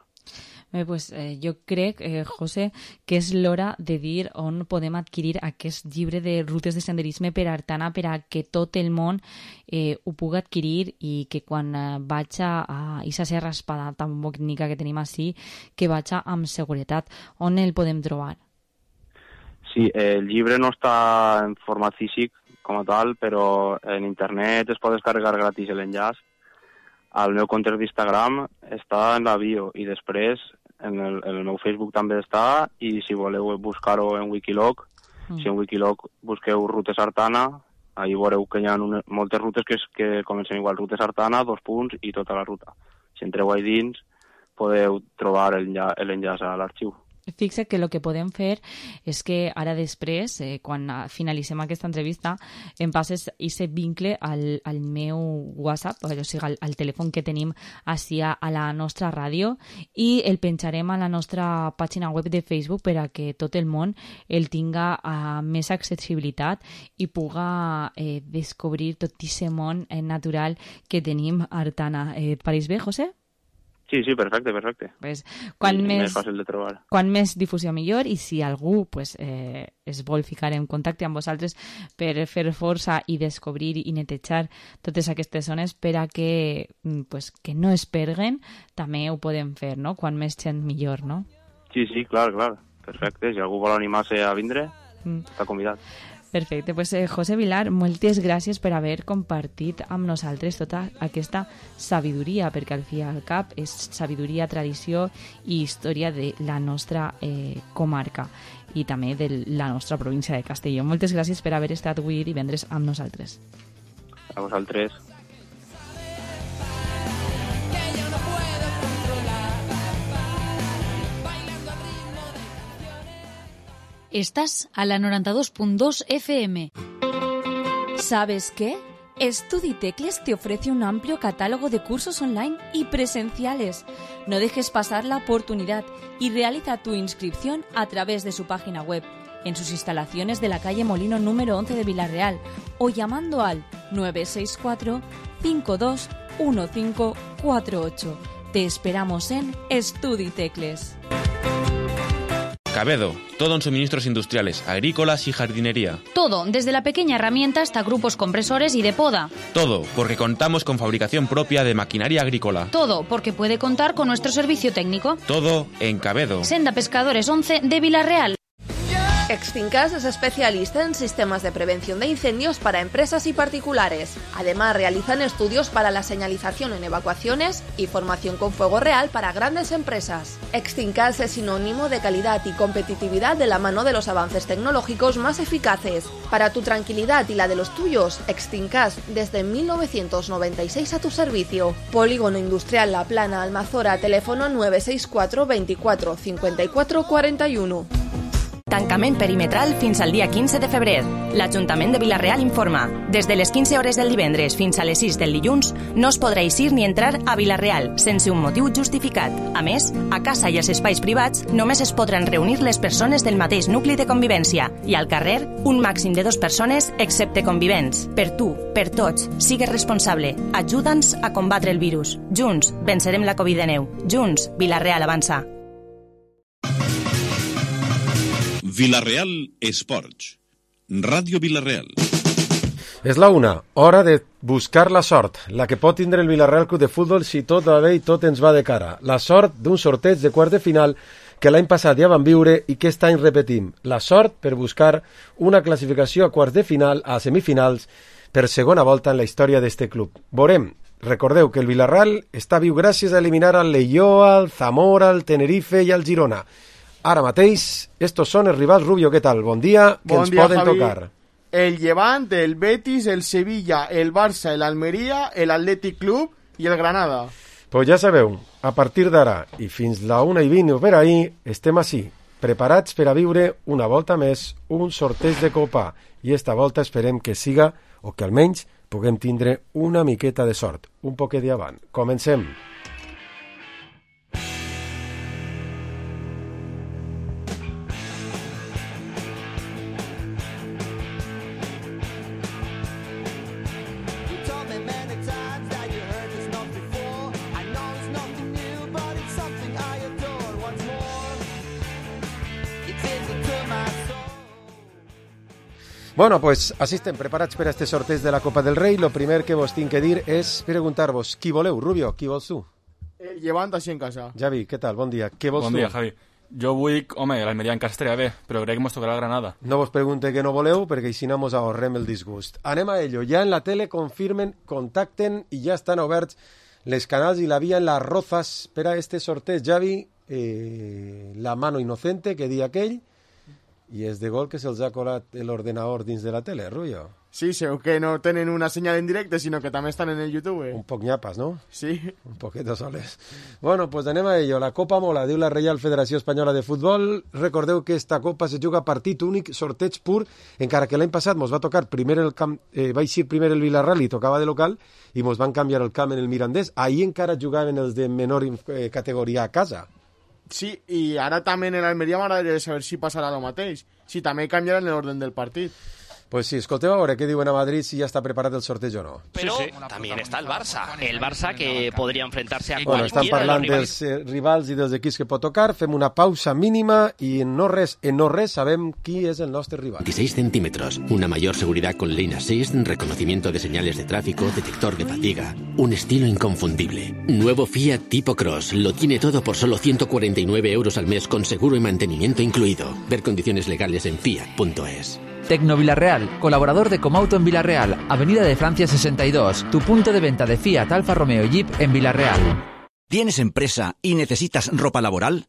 Bé, pues, eh, jo crec, eh, José, que és l'hora de dir on podem adquirir aquest llibre de rutes de senderisme per Artana per a que tot el món eh, ho pugui adquirir i que quan eh, vaig a aquesta serra espada tan bonica que tenim així, que vaig amb seguretat. On el podem trobar? Sí, el llibre no està en format físic com a tal, però en internet es pot descarregar gratis l'enllaç. Al meu compte d'Instagram està en la bio i després en el, en el meu Facebook també està i si voleu buscar-ho en Wikiloc, mm. si en Wikiloc busqueu Rutes Artana, ahí veureu que hi ha una, moltes rutes que, que comencen igual, Rutes Artana, dos punts i tota la ruta. Si entreu ahí dins podeu trobar l'enllaç a l'arxiu. Fixa que el que podem fer és que ara després, eh, quan finalitzem aquesta entrevista, em passes aquest vincle al, al meu WhatsApp, o sigui, al, al telèfon que tenim així a, a la nostra ràdio, i el penjarem a la nostra pàgina web de Facebook per a que tot el món el tinga a més accessibilitat i puga eh, descobrir tot aquest món eh, natural que tenim a Artana. Eh, et pareix bé, José? Sí, sí, perfecte, perfecte. Pues, quan sí, més, més fàcil de trobar. Quan més difusió millor i si algú pues, eh, es vol ficar en contacte amb vosaltres per fer força i descobrir i netejar totes aquestes zones per a que, pues, que no es perguen, també ho podem fer, no? Quan més gent millor, no? Sí, sí, clar, clar. Perfecte. Si algú vol animar-se a vindre, mm. està convidat. Perfecte, pues, eh, José Vilar, moltes gràcies per haver compartit amb nosaltres tota aquesta sabidoria, perquè al fi i al cap és sabidoria, tradició i història de la nostra eh, comarca i també de la nostra província de Castelló. Moltes gràcies per haver estat avui divendres amb nosaltres. A vosaltres. Estás a la noventa y dos punto dos F M. ¿Sabes qué? Estuditecles te ofrece un amplio catálogo de cursos online y presenciales. No dejes pasar la oportunidad y realiza tu inscripción a través de su página web, en sus instalaciones de la calle Molino número once de Vilarreal o llamando al nueve seis cuatro, cinco dos uno cinco cuatro ocho. Te esperamos en Estuditecles. Cabedo, todo en suministros industriales, agrícolas y jardinería. Todo, desde la pequeña herramienta hasta grupos compresores y de poda. Todo, porque contamos con fabricación propia de maquinaria agrícola. Todo, porque puede contar con nuestro servicio técnico. Todo en Cabedo. Senda Pescadores once de Vilarreal. Extincas es especialista en sistemas de prevención de incendios para empresas y particulares. Además, realizan estudios para la señalización en evacuaciones y formación con fuego real para grandes empresas. Extincas es sinónimo de calidad y competitividad de la mano de los avances tecnológicos más eficaces. Para tu tranquilidad y la de los tuyos, Extincas desde mil novecientos noventa y seis a tu servicio. Polígono Industrial La Plana, Almazora, teléfono nueve seis cuatro, veinticuatro, cincuenta y cuatro, cuarenta y uno. Tancament perimetral fins al dia quinze de febrer. L'Ajuntament de Vilarreal informa. Des de les quinze hores del divendres fins a les sis del dilluns no us podrà eixir ni entrar a Vilarreal sense un motiu justificat. A més, a casa i als espais privats només es podran reunir les persones del mateix nucli de convivència i al carrer un màxim de dues persones excepte convivents. Per tu, per tots, sigues responsable. Ajuda'ns a combatre el virus. Junts vencerem la Covid diecinueve. Junts, Vilarreal avança. Vilarreal Esports. Radio Vilarreal. És la una, hora de buscar la sort, la que pot tindre el Vilarreal Club de Futbol si tot va bé i tot ens va de cara. La sort d'un sorteig de quart de final que l'any passat ja vam viure i que aquest any repetim. La sort per buscar una classificació a quarts de final, a semifinals, per segona volta en la història d'este club. Veurem. Recordeu que el Vilarreal està viu gràcies a eliminar al Leioa, al Zamora, al Tenerife i al Girona. Ara mateix, estos són els rivals. Rubio, què tal? Bon dia, que bon ens dia, poden Javi. Tocar. El Levante, el Betis, el Sevilla, el Barça, el Almería, el Athletic Club i el Granada. Pues ja sabeu, a partir d'ara i fins la una i vint o per ahir, estem així, preparats per a viure una volta més un sorteig de Copa. I esta volta esperem que siga, o que almenys puguem tindre una miqueta de sort, un poquet d'avant. Comencem. Bueno, pues així estem preparats per a este sorteig de la Copa del Rei. Lo primer que vos tinc que dir és preguntar-vos qui voleu. Rubio, qui vols tu? El Llevant així en casa. Javi, què tal? Bon dia. Què vols bon tu? Bon dia, Javi. Jo vull, home, l'Almeria en casa estaria bé, però crec que mos tocarà el Granada. No vos pregunte que no voleu, perquè així no mos ahorrem el disgust. Anem a ello. Ja en la tele confirmen, contacten i ja estan oberts les canals i la via en les rozas per a este sorteig. Javi, eh, la mano inocente que di aquell, i és de gol que se'ls ha colat l'ordenador dins de la tele, Rubio. Sí, segur que no tenen una senyal en directe, sinó que també estan en el YouTube. Un poc nyapes, no? Sí. Un poquito soles. Bueno, pues anem a ello. La Copa Mola, diu la Reial Federació Espanyola de Futbol. Recordeu que esta Copa se juga partit únic, sorteig pur, encara que l'any passat mos va tocar primer el camp, eh, va eixir primer el Villarreal i tocava de local, i mos van canviar el camp en el Mirandés. Ahir encara jugaven els de menor eh, categoria a casa. Sí, i ara també en l'Almeria m'agradaria saber si passarà el mateix, si també canviaran l'ordre del partit. Pues sí, escolteu a veure què diuen a Madrid, si ja està preparat el sorteig o no. Pero sí, sí. También está el Barça, el Barça que podría enfrentarse a bueno, cualquiera estan parlant de los dels eh, rivals i dels equips que pot tocar, fem una pausa mínima y en no res, en no res sabem qui és el nostre rival. veintiséis centímetros, una mayor seguridad con Lane Assist, reconocimiento de señales de tráfico, detector de fatiga, un estilo inconfundible. Nuevo Fiat Tipo Cross, lo tiene todo por solo ciento cuarenta y nueve euros al mes con seguro y mantenimiento incluido. Ver condiciones legales en fiat punto es. Tecnovilarreal, colaborador de Comauto en Villarreal, Avenida de Francia sesenta y dos, tu punto de venta de Fiat, Alfa Romeo y Jeep en Villarreal. ¿Tienes empresa y necesitas ropa laboral?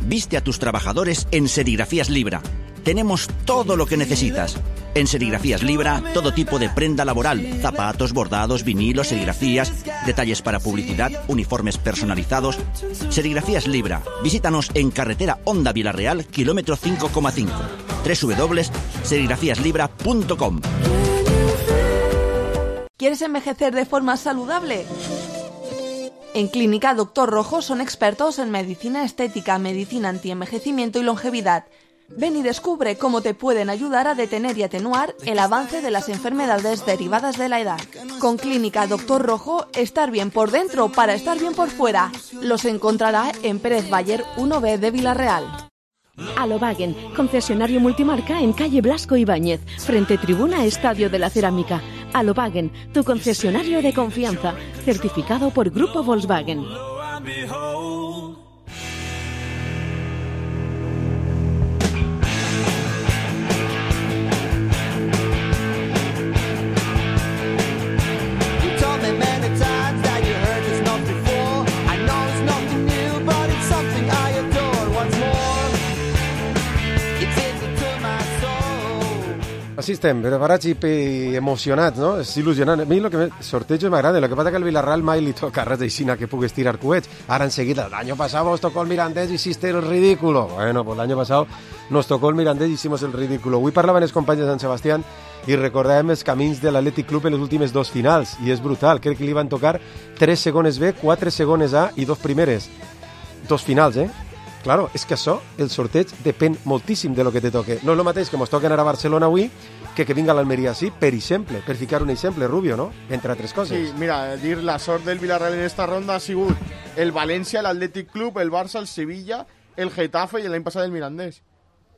Viste a tus trabajadores en Serigrafías Libra. Tenemos todo lo que necesitas. En Serigrafías Libra, todo tipo de prenda laboral, zapatos, bordados, vinilos, serigrafías, detalles para publicidad, uniformes personalizados. Serigrafías Libra. Visítanos en carretera Honda Villarreal, kilómetro cinco coma cinco. doble u doble u doble u punto serigrafías libra punto com. ¿Quieres envejecer de forma saludable? En Clínica Doctor Rojo son expertos en medicina estética, medicina antienvejecimiento y longevidad. Ven y descubre cómo te pueden ayudar a detener y atenuar el avance de las enfermedades derivadas de la edad. Con Clínica Doctor Rojo, estar bien por dentro para estar bien por fuera. Los encontrará en Pérez Bayer uno B de Villarreal. Alobagen, concesionario multimarca en calle Blasco Ibáñez, frente tribuna Estadio de la Cerámica. Alobagen, tu concesionario de confianza, certificado por Grupo Volkswagen. Així estem, preparats i emocionats, no? És il·lusionant. A mi el que sorteig m'agrada, el que passa que al Villarreal mai li toca res aixina que pugues tirar coets. Ara enseguida, l'any passat os tocó el Mirandés y hiciste el ridículo. Bueno, pues l'any passat nos tocó el Mirandés y hicimos el ridículo. Avui parlaven els companys de Sant Sebastián i recordàvem els camins de l'Atlètic Club en les últimes dos finals, i és brutal. Crec que li van tocar tres segones B, quatre segones A i dos primeres. Dos finals, eh? Claro, és que això, el sorteig, depèn moltíssim de lo que te toque. No és el mateix que mos toquen ara a Barcelona avui que que vinga a l'Almeria així, per exemple, per ficar un exemple, Rubio, no? Entre altres coses. Sí, mira, dir la sort del Villarreal en esta ronda ha sigut el València, l'Atlètic Club, el Barça, el Sevilla, el Getafe i l'any passat el Mirandés.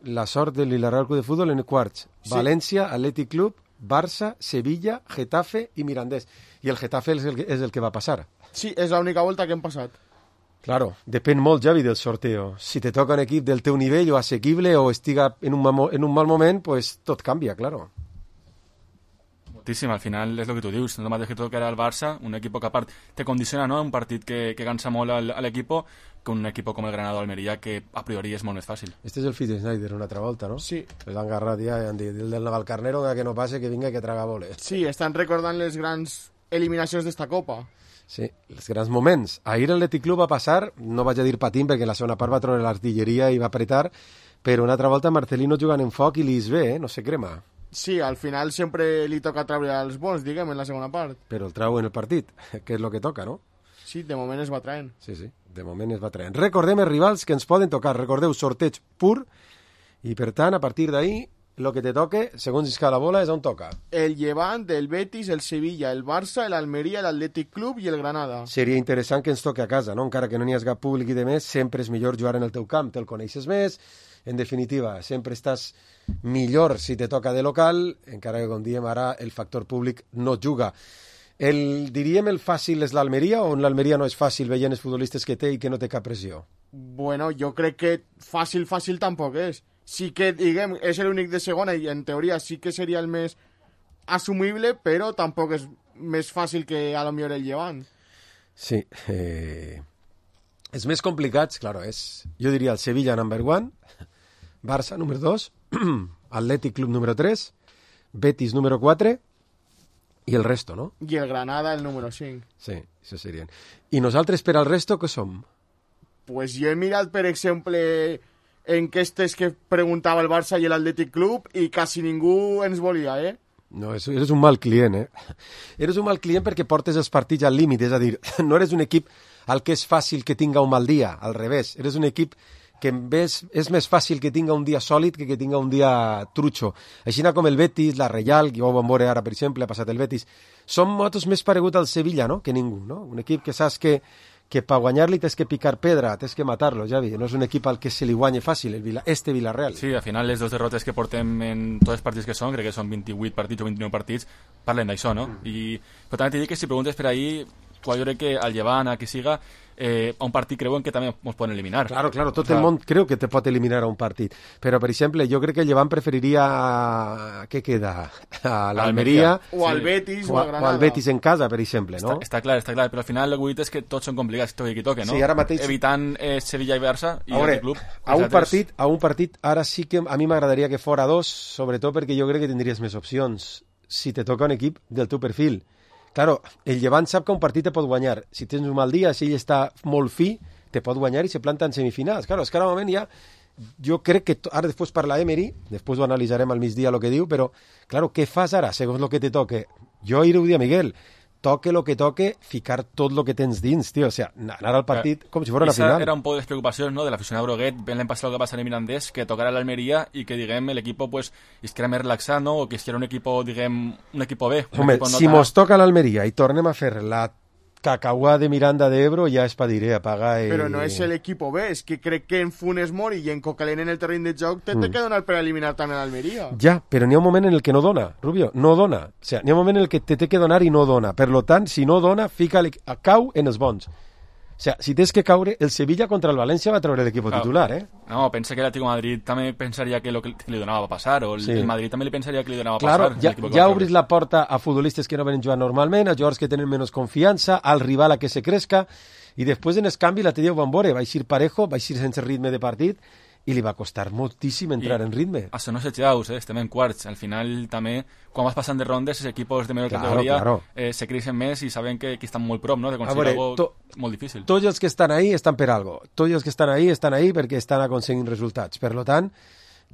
La sort del Villarreal Club de Fútbol en quarts. Sí. València, Atlètic Club, Barça, Sevilla, Getafe i Mirandés. I el Getafe és el, és el que va passar. Sí, és l'única volta que hem passat. Claro, depèn molt, Javi, del sorteo. Si te toca un equip del teu nivell o assequible o estiga en un, mal, en un mal moment, pues tot canvia, claro. Moltíssim, al final és el que tu dius, no el mateix que toca ara el Barça, un equip que a part te condiciona, no?, un partit que, que cansa molt al, a l'equip, que un equip com el Granada o Almeria, que a priori és molt més fàcil. Este és el fill de Snyder una altra volta, no? Sí. L'han agarrat ja i han dit, el del Navalcarnero, que no passe, que vinga, que traga boles. Sí, estan recordant les grans eliminacions d'esta Copa. Sí, els grans moments. Ahir l'Atlètic Club va passar, no vaig a dir patint perquè la segona part va treure l'artilleria i va apretar, però una altra volta Marcelino jugant en foc i li es ve, eh? No se crema. Sí, al final sempre li toca treure els bons, diguem, en la segona part. Però el trau en el partit, que és el que toca, no? Sí, de moment es va traient. Sí, sí, de moment es va traient. Recordem els rivals que ens poden tocar. Recordeu, sorteig pur, i per tant, a partir d'ahir, el que te toque, segons isca la bola, és on toca. El Llevant, el Betis, el Sevilla, el Barça, l'Almeria, l'Atlètic Club i el Granada. Seria interessant que ens toque a casa, no? Encara que no n'hi hagi cap públic i de més, sempre és millor jugar en el teu camp, te'l coneixes més, en definitiva, sempre estàs millor si te toca de local, encara que, com diem ara, el factor públic no juga. El, diríem el fàcil és l'Almeria, o l'Almeria no és fàcil veient els futbolistes que té i que no té cap pressió? Bueno, jo crec que fàcil, fàcil tampoc és. Sí que, diguem, és l'únic de segona i en teoria sí que seria el més assumible, però tampoc és més fàcil que a lo millor el Llevant. Sí. Eh... Els més complicats, claro, és, jo diria el Sevilla number one, Barça número dos, Atlètic Club número tres, Betis número quatre i el resto, no? I el Granada el número cinc. Sí, això serien. I nosaltres per al resto què som? Pues jo he mirat, per exemple, enquestes que preguntava el Barça i l'Atlètic Club i quasi ningú ens volia, eh? No, eres un mal client, eh? Eres un mal client perquè portes els partits al límit, és a dir, no eres un equip al que és fàcil que tinga un mal dia, al revés, eres un equip que és, és més fàcil que tinga un dia sòlid que que tinga un dia trutxo. Així com el Betis, la Reial, que ho vam veure ara, per exemple, ha passat el Betis, són motos més paregut al Sevilla, no?, que ningú, no? Un equip que saps que que per guanyar-li tens que picar pedra, tens que matar-lo, Javi. No és un equip al que se li guanya fàcil, el Vila, este Villarreal. Sí, al final les dues derrotes que portem en tots els partits que són, crec que són vint-i-vuit partits o vint-i-nou partits, parlen d'això, no? Mm. I, però també t'he dit que si preguntes per ahir, quan jo crec que al Llevant, a qui siga, eh, a un partit creuen que també ens poden eliminar. Claro, claro, tot o sea, el món creu que te pot eliminar a un partit. Però, per exemple, jo crec que el Llevant preferiria... Què queda? A l'Almeria... O al Betis o, o a Granada. O al Betis en casa, per exemple, no? Està, està clar, està clar, però al final el que és que tots són complicats, toque qui toque, no? Sí, ara mateix... Evitant eh, Sevilla i Barça i a veure, el club. A un, partit, a un partit, ara sí que a mi m'agradaria que fora dos, sobretot perquè jo crec que tindries més opcions si te toca un equip del teu perfil. Claro, el Llevant sap que un partit te pot guanyar. Si tens un mal dia, si ell està molt fi, te pot guanyar i se planta en semifinals. Claro, és que ara moment ja... Jo crec que ara després parla Emery, després ho analitzarem al migdia el que diu, però, claro, què fas ara, segons el que te toque? Jo ahir ho dia Miguel, toque lo que toque, ficar tot lo que tens dins, tio. O sea, anar al partit com si fos una final. Era un poc de les preocupacions, no?, de l'aficionat groguet, ben l'any passat el que va ser el Mirandés, que tocara l'Almeria i que, diguem, l'equip pues, estarà més relaxat, no?, o que estarà un equip, diguem, un equip B. Un Home, equipo no si tan... mos toca l'Almeria i tornem a fer la Cacauà de Miranda de Ebro, ja es padiré a pagar... Eh... Però no és l'equip B, és que crec que en Funes Mori i en Cocalén en el terreny de joc te, mm. te que donar per eliminar també l'Almeria. Ja, però n'hi ha un moment en el que no dona, Rubio, no dona. O sea, n'hi ha un moment en el que te té que donar i no dona. Per lo tant, si no dona, fica a cau en els bons. O sea, si tens que caure, el Sevilla contra el València va treure l'equip claro. titular, eh? No, pensa que l'Atlético de Madrid també pensaria que lo que li donava va passar, o el, sí. el Madrid també li pensaria que li donava claro, passar. Ja, ja obris la porta a futbolistes que no venen jugant normalment, a jugadors que tenen menys confiança, al rival a que se crezca, i després en el canvi la T D van veure, va eixir parejo, va eixir sense ritme de partit, i li va costar moltíssim entrar I en ritme. Això no s'aixaus, eh? Estem en quarts. Al final, també, quan vas passant de rondes, els equipos de millor claro, categoria claro. Eh, se creixen més i saben que, que estan molt prop, no?, de aconseguir veure, algo to, molt difícil. Tots els que estan ahí estan per algo. Tots els que estan ahí estan ahí perquè estan aconseguint resultats. Per lo tant,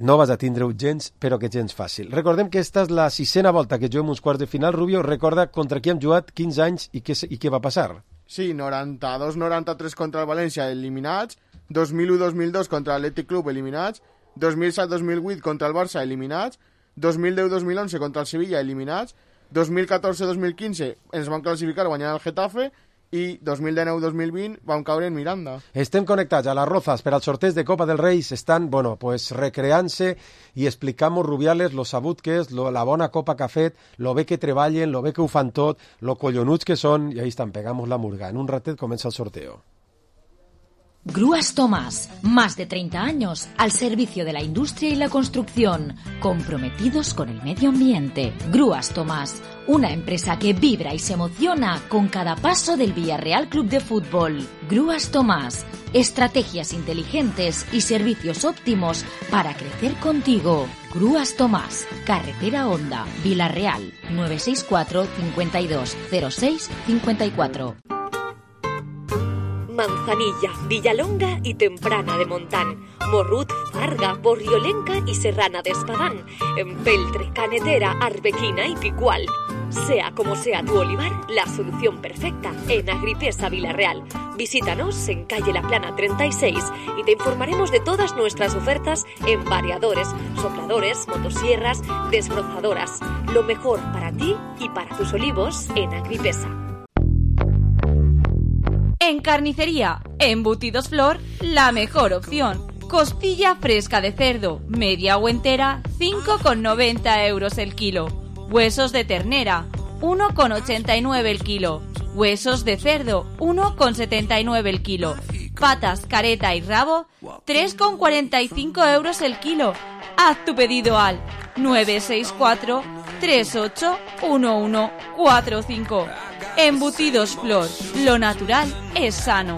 no vas a tindre-ho gens, però que gens fàcil. Recordem que esta és la sisena volta que juguem uns quarts de final. Rubio, recorda contra qui hem jugat quinze anys i què, i què va passar. Sí, noranta-dos noranta-tres contra el València, eliminats, dos mil u dos mil dos contra l'Atlètic Club, eliminats, dos mil set dos mil vuit contra el Barça, eliminats, dos mil deu dos mil onze contra el Sevilla, eliminats, dos mil catorze dos mil quinze ens van classificar guanyant el Getafe i dos mil dinou dos mil vint vam caure en Miranda. Estem connectats a les Rozas per al sorteig de Copa del Rei. Estan, bueno, pues recreant-se i explicamos Rubiales lo sabut que és, lo, la bona copa que ha fet, lo bé que treballen, lo bé que ho fan tot, lo collonuts que són, i ahí estan, pegamos la murga. En un ratet comença el sorteo. Grúas Tomás, más de treinta años al servicio de la industria y la construcción, comprometidos con el medio ambiente. Grúas Tomás, una empresa que vibra y se emociona con cada paso del Villarreal Club de Fútbol. Grúas Tomás, estrategias inteligentes y servicios óptimos para crecer contigo. Grúas Tomás, Carretera Honda, Villarreal, nueve seis cuatro, cincuenta y dos, cero seis, cincuenta y cuatro. Manzanilla, Villalonga y Temprana de Montán, Morrut, Farga, Borriolenca y Serrana de Espadán, Empeltre, Canetera, Arbequina y Picual. Sea como sea tu olivar, la solución perfecta en Agripesa Villarreal. Visítanos en calle La Plana treinta y seis y te informaremos de todas nuestras ofertas en variadores, sopladores, motosierras, desbrozadoras. Lo mejor para ti y para tus olivos en Agripesa. En carnicería, embutidos Flor, la mejor opción. Costilla fresca de cerdo, media o entera, cinco con noventa euros el kilo. Huesos de ternera, uno con ochenta y nueve el kilo. Huesos de cerdo, uno con setenta y nueve el kilo. Patas, careta y rabo, tres con cuarenta y cinco euros el kilo. Haz tu pedido al nueve seis cuatro, tres ocho, uno uno cuatro cinco. Embutidos Flor, lo natural es sano.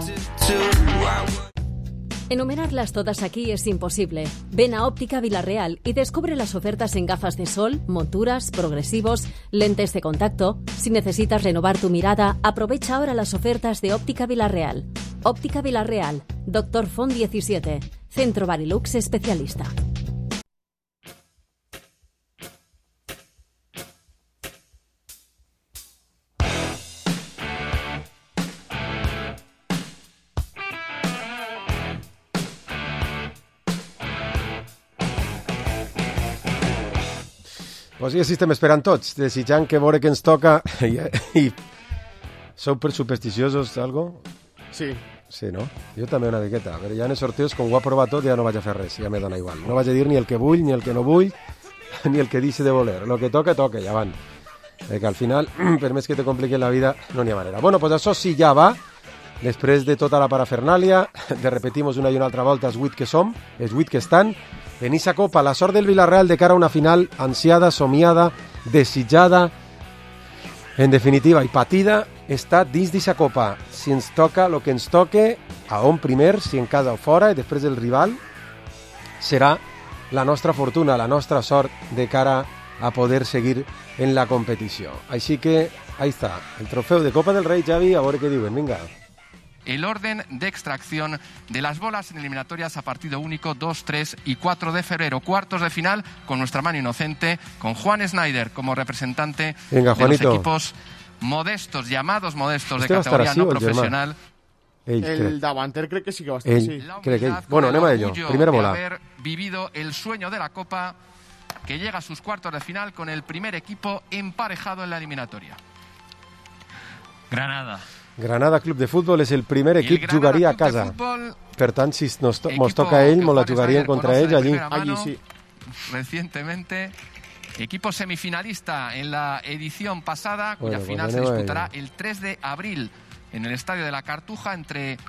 Enumerarlas todas aquí es imposible. Ven a Óptica Villarreal y descubre las ofertas en gafas de sol, monturas, progresivos, lentes de contacto. Si necesitas renovar tu mirada, aprovecha ahora las ofertas de Óptica Villarreal. Óptica Villarreal, Doctor Font diecisiete, Centro Barilux especialista. Pues sí, així estem esperant tots, desitjant que veure què ens toca. I, i sou per supersticiosos, algo? Sí. Sí, no? Jo també una miqueta, però ja en els sorteos, com ho ha provat tot, ja no vaig a fer res, ja me dona igual. No vaig a dir ni el que vull, ni el que no vull, ni el que deixe de voler. Lo que toca, toca, ja van. Perquè al final, per més que te compliqui la vida, no n'hi ha manera. Bueno, pues això sí ja va. després de tota la parafernàlia, de repetimos una i una altra volta els vuit que som, els vuit que estan, en esa copa, la sort del Villarreal de cara a una final ansiada, somiada, desitjada, en definitiva, i patida, està dins d'esa copa. Si ens toca el que ens toque, a on primer, si en casa o fora, i després el rival, serà la nostra fortuna, la nostra sort de cara a poder seguir en la competició. Així que, ahí està, el trofeu de Copa del Rei, Javi, a veure què diuen, vinga. El orden de extracción de las bolas en eliminatorias a partido único dos, tres y cuatro de febrero. Cuartos de final con nuestra mano inocente, con Juan Snyder como representante Venga, de los equipos modestos, llamados modestos de categoría no profesional. Ell, el crec. davanter crec que sí que va estar Ell, así. crec que ell. Bueno, anem a ello. Primera bola. De haber vivido el sueño de la Copa, que llega a sus cuartos de final con el primer equipo emparejado en la eliminatoria. Granada. Granada Club de Futbol és el primer equip, jugaria a casa. Per tant, si nos, to nos toca a ell, nos la jugaríem contra ells allí. Allí sí. Recientemente, equipo semifinalista en la edición pasada, cuya Bueno, final pues se tenemos disputará ahí. el tres de abril en el Estadio de la Cartuja entre El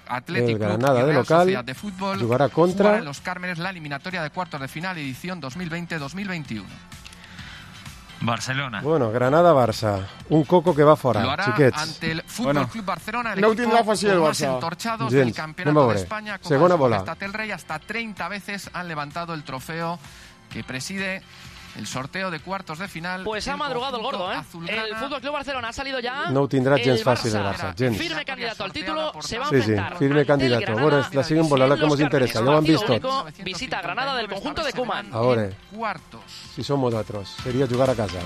Athletic Club Granada y de Real local Sociedad de Fútbol. jugará contra- Jugará en Los Cármenes la eliminatoria de cuartos de final edición dos mil veinte dos mil veintiuno. Barcelona. Bueno, Granada-Barça. Un coco que va Lo fora, hará xiquets. ante el Fútbol Bueno. Club Barcelona, el No ho equipo tindrà fàcil el con más Barça. entorchados Gens. del Anem a Campeonato de veure. España. Copa Segona de bola. Majestad del Rey, hasta treinta veces han levantado el trofeo que preside el sorteo de cuartos de final. Pues ha madrugado el gordo, ¿eh? El Fútbol Club Barcelona ha salido ya. No ho tindrà gens El fàcil el Barça, gens. Firme candidato al título, se va a Sí, sí, enfrentar firme ante el candidato. Granada Bueno, la siguen volant, la que en nos Los interesa, Cármenes. ja ho han vist Partido tot. único, visita a Granada del conjunto de Koeman. A veure, Cuartos. si som nosaltres, seria jugar a casa.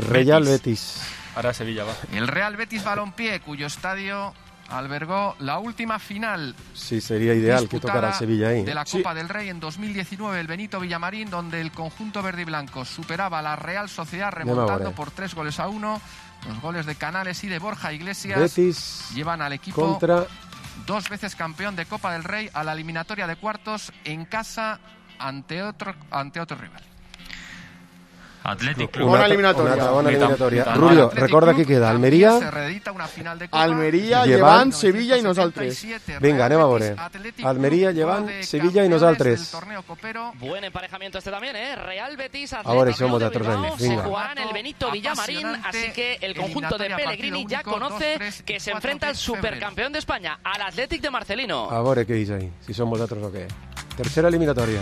Real Betis. Ahora Sevilla va. El Real Betis Balompié, cuyo estadio albergó la última final Sí, seria ideal que tocara el Sevilla ahí. de la Copa del Rey en dos mil diecinueve, el Benito Villamarín, donde el conjunto verde y blanco superaba a la Real Sociedad Anem a remontando veure. por tres goles a uno. Los goles de Canales y de Borja Iglesias Betis llevan al equipo contra... dos veces campeón de Copa del Rey a la eliminatoria de cuartos en casa ante otro, ante otro rival. Athletic Una, una altra bona eliminatòria. Rubio, recorda qui queda. Almeria, Se reedita una final de Copa. Almeria, Llevant, Llevant, Sevilla i nosaltres. Vinga, anem a veure. Almeria, Llevant, Sevilla i nosaltres. Buen emparejamiento este también, ¿eh? Real Betis, A veure Athletic si som Club de nosaltres Bilbao, allí. se Vinga. jugará en el Benito Villamarín, así que el conjunto de Pellegrini ya conoce que se enfrenta al supercampeón de España, al Athletic de Marcelino. A veure què és ahí, si som vosaltres o què. Tercera eliminatòria.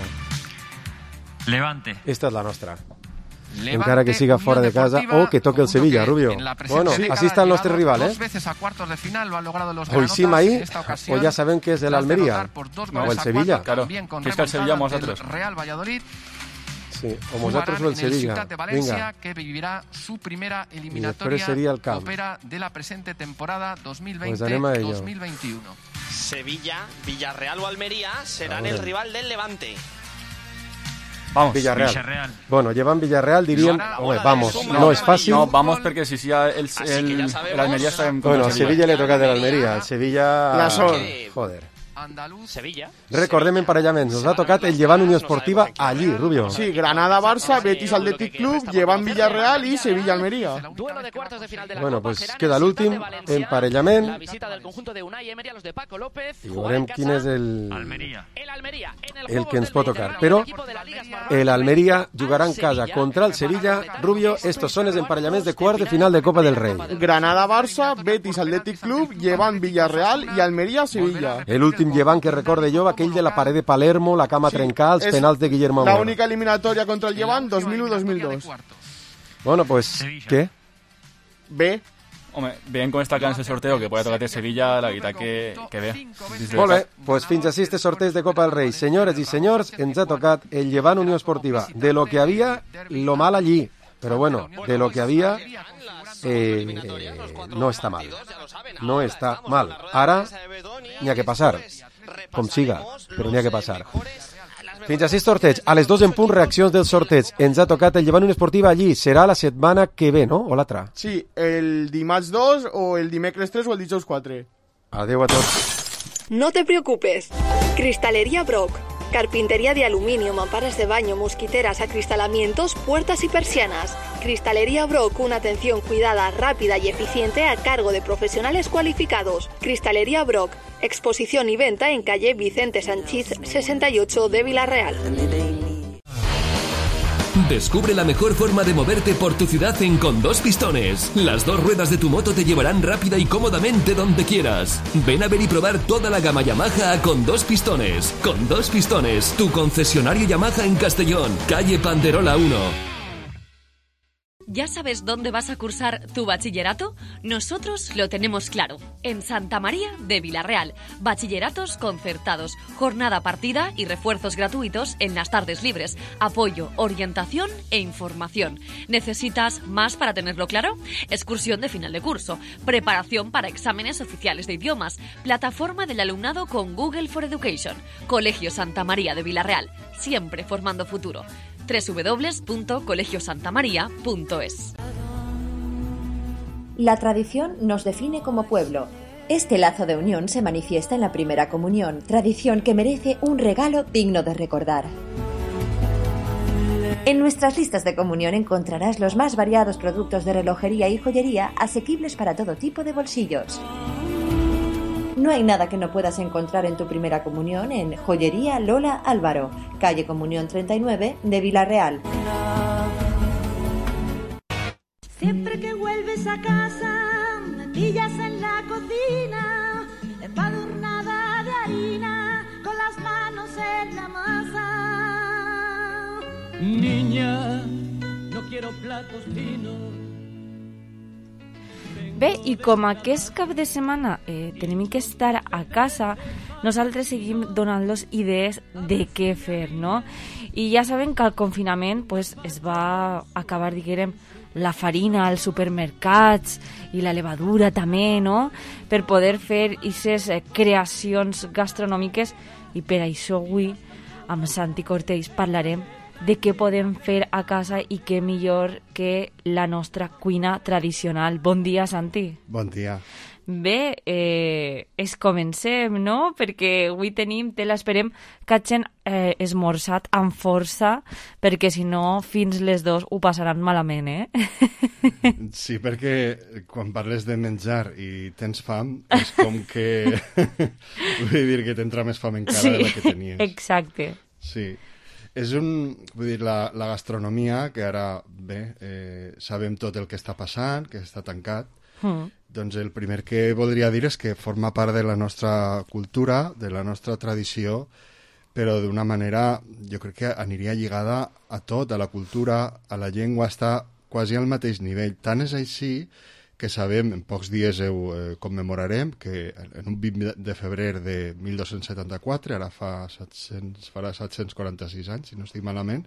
Levante. Esta és la nostra. Levante, Encara que siga fora de casa o que toque el Sevilla, Rubio. En la presente Bueno, década así está el ha nostre llegado rival, ¿eh? Dos veces a cuartos de final lo han logrado los O hicim granotas, ahí, en esta ocasión, o ya saben que es el tras Almería. derrotar por dos O goles el a Sevilla. cuatro, también con Que es que el Sevilla remontada vosotros. del Real Valladolid. Sí, o vosaltres o el Jugarán en el Sevilla. Ciutat de Valencia, Vinga. que vivirá su primera després eliminatoria seria el camp. opera de la presente temporada dos mil Pues veinte anem a ello. dos mil veintiuno. Sevilla, Villarreal o Almería serán A ver. el rival del Levante. Vamos. Villarreal. Villarreal. Bueno, llevan Villarreal, diríem... Home, vamos, no és fàcil. No, vamos perquè si sí, el, Así que el, ya sabemos. el Almería está en Bueno, a Sevilla li ha tocat l'Almeria. El Sevilla... La sort. Joder. Sevilla. Recordem emparellaments. Nos ha tocat el Llevant Unió Esportiva allí, Rubio. Sí, Granada-Barça, Betis Athletic Club, Llevant Villarreal i Sevilla-Almeria. Duelo de cuartos de final de la Bueno, Copa pues será en queda el l'últim Ciutat de Valencia. emparellament. La visita del conjunto de Unai Emery a los de Paco López. I Jugar en veurem quin casa. és el, Almería. El Almería en el, el Juegos que ens del pot tocar. Mediterráneo, Però el equipo de la Liga Smartbank el Almeria jugarà en casa contra el Sevilla. Rubio, estos són els emparellaments de quart de final de Copa del Rei. Granada-Barça, Betis Athletic Club, Llevant Villarreal i Almeria-Sevilla. El últim Llevant que recorde jo, aquell de la paret de Palermo, la cama trencada, els és penals de Guillermo La Amor. única eliminatòria contra el Llevant dos mil u dos mil dos. Bueno, pues, què? Bé. Home, veient com està quedant el sorteo, que puede tocar a Sevilla, la veritat que, que bé. Molt bé, pues fins així este sorteig de Copa del Rei. Senyores i senyors, ens ha tocat el Llevant Unió Esportiva. De lo que havia, lo mal allí. Però bueno, de lo que havia, eh, no està mal. No està mal. Ara, n'hi ha que passar. Com siga, però n'hi ha que passar. Fins així el sorteig. A les dos en punt, reaccions del sorteig. Ens ha tocat el Llevant Unió Esportiva allí. Serà la setmana que ve, no? O l'altra? Sí, el dimarts dos o el dimecres tres o el dijous quatre. Adéu a tots. No te preocupes. Cristalería Brock. Carpintería de aluminio, mamparas de baño, mosquiteras, acristalamientos, puertas y persianas. Cristalería Brock, una atención cuidada, rápida y eficiente a cargo de profesionales cualificados. Cristalería Brock, exposición y venta en calle Vicente Sanchís sesenta y ocho de Villarreal. Descubre la mejor forma de moverte por tu ciudad en Con Dos Pistones. Las dos ruedas de tu moto te llevarán rápida y cómodamente donde quieras. Ven a ver y probar toda la gama Yamaha a Con Dos Pistones. Con Dos Pistones, tu concesionario Yamaha en Castellón, calle Panderola uno. ¿Ya sabes dónde vas a cursar tu bachillerato? Nosotros lo tenemos claro. En Santa María de Villarreal. Bachilleratos concertados, jornada partida y refuerzos gratuitos en las tardes libres. Apoyo, orientación e información. ¿Necesitas más para tenerlo claro? Excursión de final de curso. Preparación para exámenes oficiales de idiomas. Plataforma del alumnado con Google for Education. Colegio Santa María de Villarreal. Siempre formando futuro. doble u doble u doble u punto colegio santa maría punto es. La tradición nos define como pueblo. Este lazo de unión se manifiesta en la primera comunión, tradición que merece un regalo digno de recordar. En nuestras listas de comunión encontrarás los más variados productos de relojería y joyería asequibles para todo tipo de bolsillos. No hay nada que no puedas encontrar en tu primera comunión en Joyería Lola Álvaro, calle Comunión treinta y nueve de Villarreal. Siempre que vuelves a casa, me pillas en la cocina, empadurnada de harina, con las manos en la masa. Niña, no quiero platos finos. Bé, i com aquest cap de setmana eh, tenim que estar a casa, nosaltres seguim donant-los idees de què fer, no? I ja saben que al confinament pues, es va acabar, diguem, la farina als supermercats i la levadura també, no? Per poder fer aquestes eh, creacions gastronòmiques, i per això avui amb Santi Cortells parlarem de què podem fer a casa i què millor que la nostra cuina tradicional. Bon dia, Santi. Bon dia. Bé, eh, es comencem, no? Perquè avui tenim, te l'esperem, que hagin eh, esmorzat amb força, perquè si no, fins les dos ho passaran malament, eh? Sí, perquè quan parles de menjar i tens fam, és com que... vull dir que t'entra més fam encara sí, de la que tenies. Exacte. Sí. És un... Vull dir, la, la gastronomia, que ara, bé, eh, sabem tot el que està passant, que està tancat, mm. doncs el primer que voldria dir és que forma part de la nostra cultura, de la nostra tradició, però d'una manera, jo crec que aniria lligada a tot, a la cultura, a la llengua, està quasi al mateix nivell. Tant és així que sabem, en pocs dies ho eh, commemorarem, que en un vint de febrer de mil dos-cents setanta-quatre, ara fa set-cents, farà set-cents quaranta-sis anys, si no estic malament,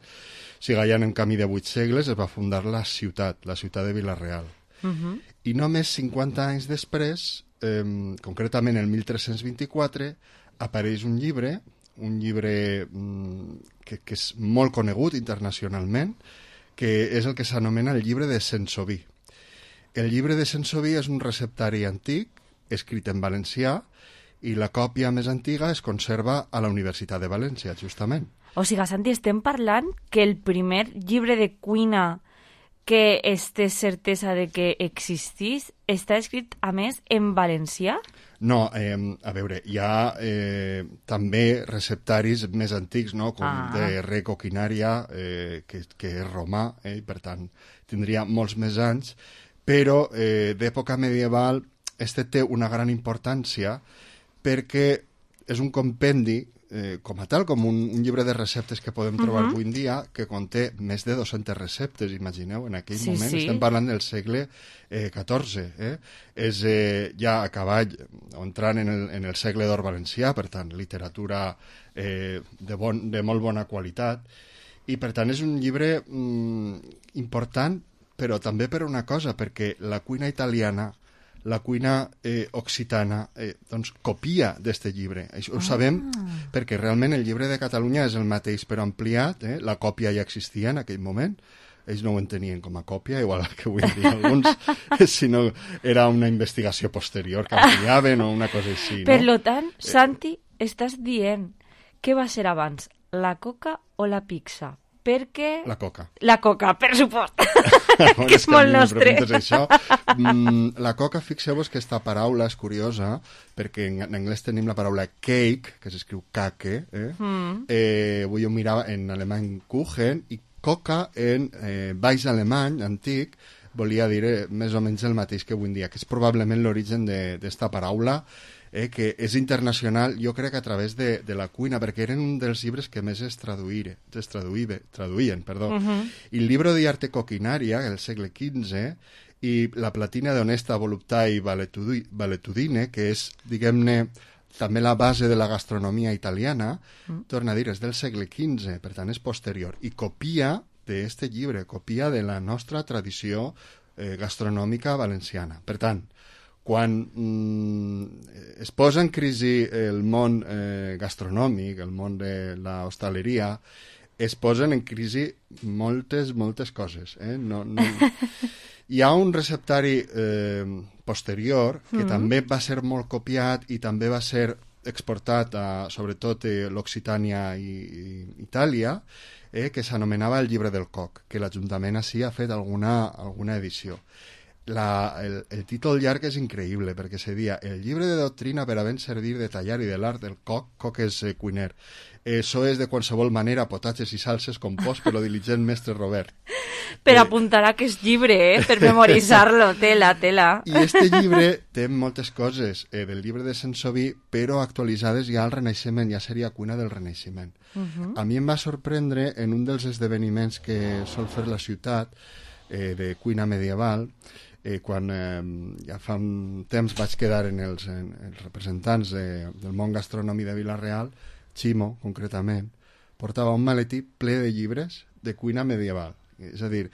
si ja en camí de vuit segles, es va fundar la ciutat, la ciutat de Villarreal. Uh-huh. I només cinquanta anys després, eh, concretament el mil tres-cents vint-i-quatre, apareix un llibre, un llibre mm, que, que és molt conegut internacionalment, que és el que s'anomena el llibre de Sensoví. El llibre de Sensoví és un receptari antic, escrit en valencià, i la còpia més antiga es conserva a la Universitat de València, justament. O sigui, Santi, estem parlant que el primer llibre de cuina que es té certesa de que existís està escrit, a més, en valencià? No, eh, a veure, hi ha eh, també receptaris més antics, no?, com ah. de Re Coquinaria, eh, que, que és romà, eh, i per tant tindria molts més anys, però eh, d'època medieval este té una gran importància perquè és un compendi, eh, com a tal, com un, un llibre de receptes que podem trobar uh-huh. avui en dia, que conté més de dues-centes receptes, imagineu, en aquell sí, moment, sí. estem parlant del segle eh, catorze, eh? És eh, ja a cavall, entrant en el, en el segle d'or valencià, per tant, literatura eh, de, bon, de molt bona qualitat, i per tant és un llibre mm, important, però també per una cosa, perquè la cuina italiana, la cuina eh, occitana, eh, doncs copia d'este llibre. Això ho ah. sabem perquè realment el llibre de Catalunya és el mateix però ampliat, eh? La còpia ja existia en aquell moment, ells no ho entenien com a còpia, igual que avui en dia alguns, sinó era una investigació posterior que ampliaven o una cosa així. Per no? lo tant, Santi, estàs dient què va ser abans, la coca o la pizza? Perquè... La coca. La coca, per supost. Bueno, que és que molt a mi nostre. em preguntes això. Mm, la coca, fixeu-vos que esta paraula és curiosa, perquè en, en anglès tenim la paraula cake, que s'escriu kake, eh? Mm. eh, avui jo mirava en alemany Kuchen, i coca en eh, baix alemany antic volia dir eh, més o menys el mateix que avui en dia, que és probablement l'origen d'esta paraula, eh, que és internacional, jo crec que a través de, de la cuina, perquè eren un dels llibres que més es, traduïre, es traduïve, traduïen. Perdó. Uh-huh. I el Libro di Arte Coquinaria, del segle quinze, i la Platina d'Onesta Voluptai Valetudine, que és, diguem-ne, també la base de la gastronomia italiana, uh-huh. torna a dir, és del segle quinze, per tant és posterior, i copia d'este llibre, copia de la nostra tradició eh, gastronòmica valenciana. Per tant, quan mm, es posa en crisi el món eh, gastronòmic, el món de l'hostaleria, es posen en crisi moltes, moltes coses. Eh? No, no... Hi ha un receptari eh, posterior que mm. també va ser molt copiat i també va ser exportat a, sobretot, a l'Occitània i, i Itàlia, eh, que s'anomenava el Llibre del Coc, que l'Ajuntament així ha fet alguna, alguna edició. La, el, el títol llarg és increïble, perquè se dia el llibre de doctrina per a ben servir de tallar i de l'art del coc, coc és eh, cuiner. Això és de qualsevol manera, potatges i salses compost per lo diligent mestre Robert. Per eh, apuntar aquest llibre, eh? Per memoritzar-lo, tela, tela. I este llibre té moltes coses eh, del llibre de Saint-Sauvy, però actualitzades ja al Renaixement, ja seria cuina del Renaixement. Uh-huh. A mi em va sorprendre en un dels esdeveniments que sol fer la ciutat eh, de cuina medieval, Eh, quan eh, ja fa un temps vaig quedar en els, en, els representants de, del món gastronòmic de Vila-real, Ximo, concretament, portava un maletí ple de llibres de cuina medieval. És a dir,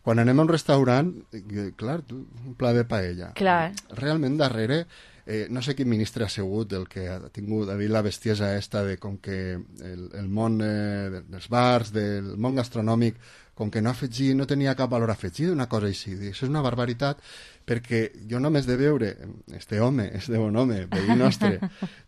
quan anem a un restaurant, eh, clar, tu, un pla de paella. Clar. Realment darrere, eh, no sé quin ministre ha sigut el que ha tingut a dir la bestiesa esta de com que el, el món eh, dels bars, del món gastronòmic, com que no afegir, no tenia cap valor afegit, una cosa així. Això és una barbaritat, perquè jo només de veure este home, este bon home, veí nostre,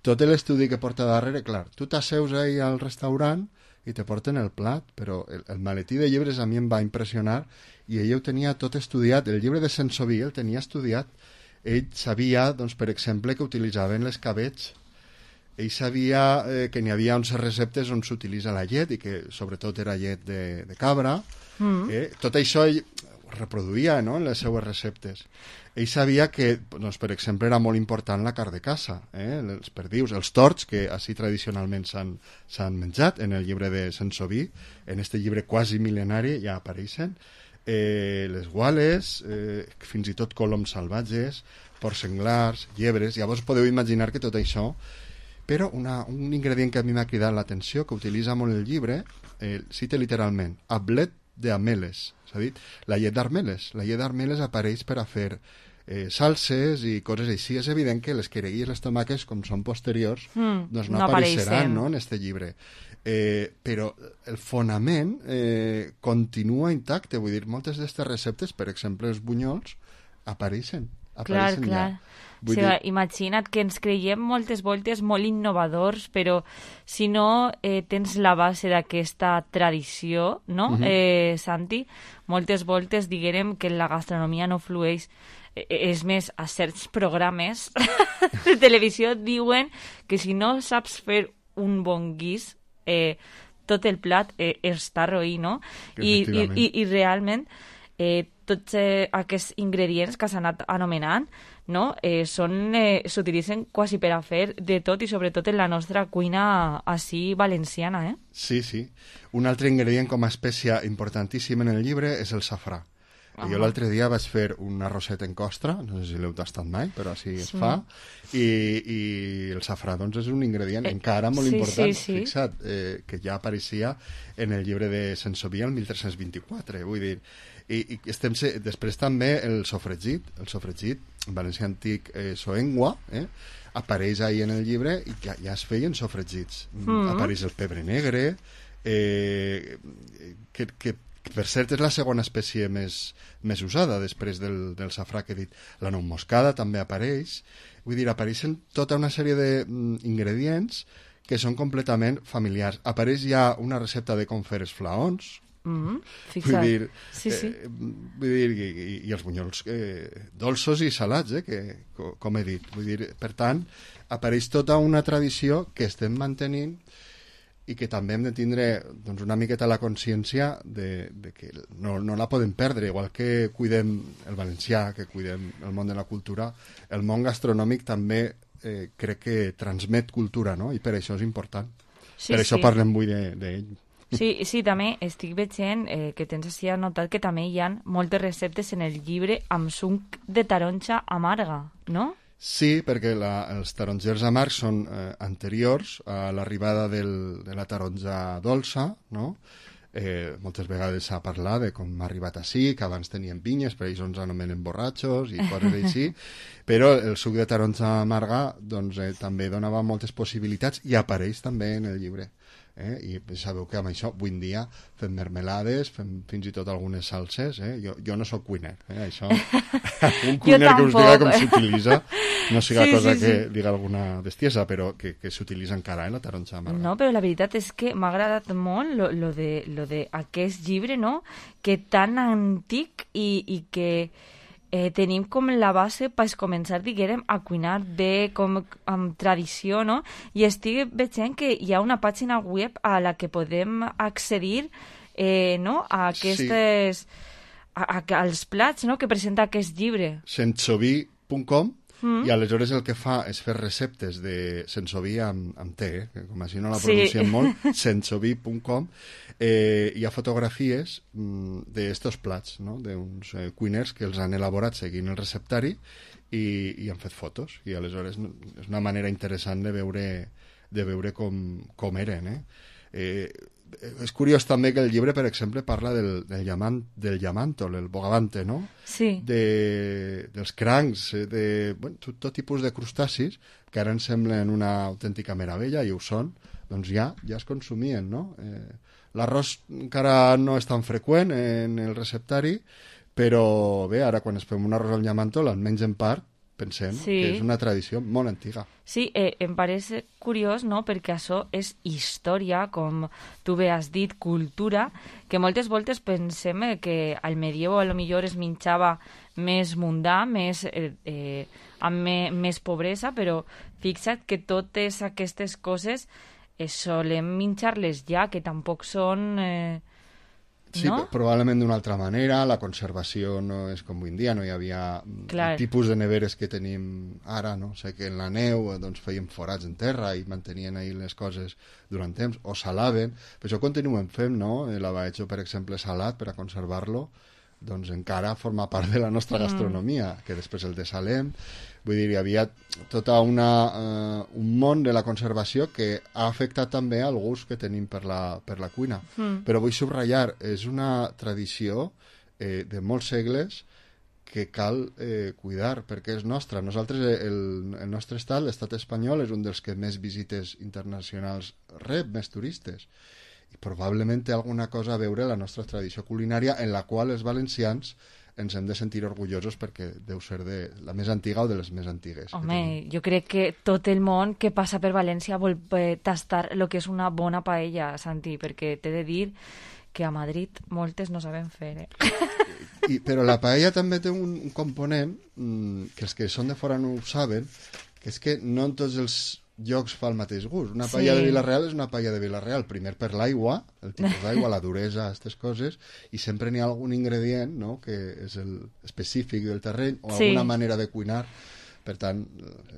tot l'estudi que porta darrere, clar, tu t'asseus ahí al restaurant i te porten el plat, però el, el maletí de llibres a mi em va impressionar i ell ho tenia tot estudiat. El llibre de Saint-Sauvy el tenia estudiat. Ell sabia, doncs, per exemple, que utilitzaven l'escabetx. Ell sabia eh, que n'hi havia uns receptes on s'utilitza la llet i que sobretot era llet de, de cabra. Mm. Eh? Tot això ell reproduïa, no?, en les seues receptes. Ell sabia que, doncs, per exemple, era molt important la carn de caça, eh? Els perdius, els torts, que així tradicionalment s'han menjat en el llibre de Saint-Sauvy, en este llibre quasi mil·lenari ja apareixen, eh, les guales, eh, fins i tot coloms salvatges, porcs senglars, llebres. Llavors podeu imaginar que tot això. Però una, un ingredient que a mi m'ha cridat l'atenció, que utilitza molt el llibre, eh, cita literalment, ablet d'ameles. S'ha dit, la llet d'armeles. La llet d'armeles apareix per a fer eh, salses i coses així. És evident que les quereguilles, les tomaques, com són posteriors, mm, doncs no, no apareixeran, no, en este llibre. Eh, però el fonament eh, continua intacte. Vull dir, moltes d'aquestes receptes, per exemple, els bunyols, apareixen. Clar, clar. O sigui, dir... Imagina't que ens creiem moltes voltes molt innovadors, però si no eh, tens la base d'aquesta tradició, no, uh-huh. eh, Santi? Moltes voltes diguérem que la gastronomia no flueix. Eh, és més, a certs programes de televisió diuen que si no saps fer un bon guís, eh, tot el plat eh, està roí, no? I, i, i, i realment... Eh, tots eh, aquests ingredients que s'han anat anomenant, no? eh, són, eh, s'utilitzen quasi per a fer de tot i sobretot en la nostra cuina així valenciana. Eh? Sí, sí. Un altre ingredient com a espècia importantíssim en el llibre és el safrà. Ah. Jo l'altre dia vaig fer un arrosset en costra, no sé si l'heu tastat mai, però així sí. es fa, i, i el safrà doncs, és un ingredient eh, encara molt sí, important, sí, sí. fixa't, eh, que ja apareixia en el llibre de Saint-Sauvy el mil tres-cents vint-i-quatre, vull dir. I, i estem, després també el sofregit, el sofregit, en valencià antic eh, soengua, eh, apareix ahí en el llibre i ja, ja es feien sofregits. Mm. Apareix el pebre negre, eh, que, que per cert és la segona espècie més, més usada després del, del safrà que he dit. La nou moscada també apareix. Vull dir, apareixen tota una sèrie d'ingredients que són completament familiars. Apareix ja una recepta de com fer els flaons, Mm-hmm. vull dir, sí, sí. Eh, vull dir i, i, i els bunyols eh, dolços i salats, eh, que, co, com he dit. Vull dir, per tant, apareix tota una tradició que estem mantenint i que també hem de tindre doncs, una miqueta la consciència de, de que no, no la podem perdre, igual que cuidem el valencià, que cuidem el món de la cultura, el món gastronòmic també eh, crec que transmet cultura, no? I per això és important. Sí, per això sí. parlem avui d'ell. De, de Sí, sí, també estic veient eh, que tens així anotat que també hi ha moltes receptes en el llibre amb suc de taronja amarga, no? Sí, perquè la, els tarongers amargs són eh, anteriors a l'arribada del, de la taronja dolça, no? Eh, moltes vegades s'ha parlat de com ha arribat així, que abans tenien vinyes, per ells ens anomenen borratxos i coses així, però el suc de taronja amarga doncs, eh, també donava moltes possibilitats i apareix també en el llibre. Eh? I sabeu que amb això avui en dia fem mermelades, fem fins i tot algunes salses, eh? jo, jo no sóc cuiner, eh? això un cuiner que us diga com s'utilitza no siga sí, cosa sí, que sí. diga alguna bestiesa, però que, que s'utilitza encara en eh, la taronja amarga. No, però la veritat és que m'ha agradat molt lo, lo, de, lo de aquest llibre, no? Que tan antic i, i que Eh, tenim com la base per començar, diguem, a cuinar bé, com amb tradició, no? I estic veient que hi ha una pàgina web a la que podem accedir eh, no? a aquestes... Sí. A, a, als plats, no?, que presenta aquest llibre. sensoví punt com Mm. i aleshores el que fa és fer receptes de sensoví amb, amb T, eh? que com així no la pronunciem sí. molt, sensoví punt com, eh, hi ha fotografies mm, d'estos plats, no? d'uns eh, cuiners que els han elaborat seguint el receptari i, i han fet fotos, i aleshores és una manera interessant de veure, de veure com, com eren. Eh? Eh, és curiós també que el llibre, per exemple, parla del, del, llamant, del llamàntol, el bogavante, no? Sí. De, dels crancs, de bueno, tot, tot tipus de crustacis que ara ens semblen una autèntica meravella, i ho són, doncs ja, ja es consumien, no? Eh, l'arròs encara no és tan freqüent en el receptari, però bé, ara quan es fem un arròs al llamàntol, almenys en part, pensem sí. que és una tradició molt antiga. Sí, eh, em pareix curiós, no?, perquè això és història, com tu bé has dit, cultura, que moltes voltes pensem eh, que al medievo a lo millor es menjava més mundà, més, eh, eh, amb me, més pobresa, però fixa't que totes aquestes coses eh, solem menjar-les ja, que tampoc són... Eh, Sí, no? probablement d'una altra manera, la conservació no és com avui en dia, no hi havia Clar. el tipus de neveres que tenim ara, no? Sé que en la neu doncs, feien forats en terra i mantenien ahí les coses durant temps, o salaven, però això continuem fent, no? El abaetxo, per exemple, salat, per a conservar-lo, doncs encara forma part de la nostra gastronomia, mm. que després el desalem. Vull dir, hi havia tota una, uh, un món de la conservació que ha afectat també el gust que tenim per la, per la cuina. Mm. Però vull subratllar, és una tradició eh, de molts segles que cal eh, cuidar, perquè és nostra. Nosaltres, el, el nostre estat, l'estat espanyol, és un dels que més visites internacionals rep, més turistes. I probablement té alguna cosa a veure la nostra tradició culinària, en la qual els valencians ens hem de sentir orgullosos perquè deu ser de la més antiga o de les més antigues. Home, jo crec que tot el món que passa per València vol eh, tastar el que és una bona paella, Santi, perquè t'he de dir que a Madrid moltes no saben fer, eh? I, però la paella també té un, un component mmm, que els que són de fora no ho saben, que és que no en tots els llocs fa el mateix gust. Una paella sí. de Vila-real és una paella de Vila-real, primer per l'aigua, el tipus d'aigua, la duresa, aquestes coses, i sempre n'hi ha algun ingredient, no?, que és el específic del terreny, o sí. alguna manera de cuinar. Per tant...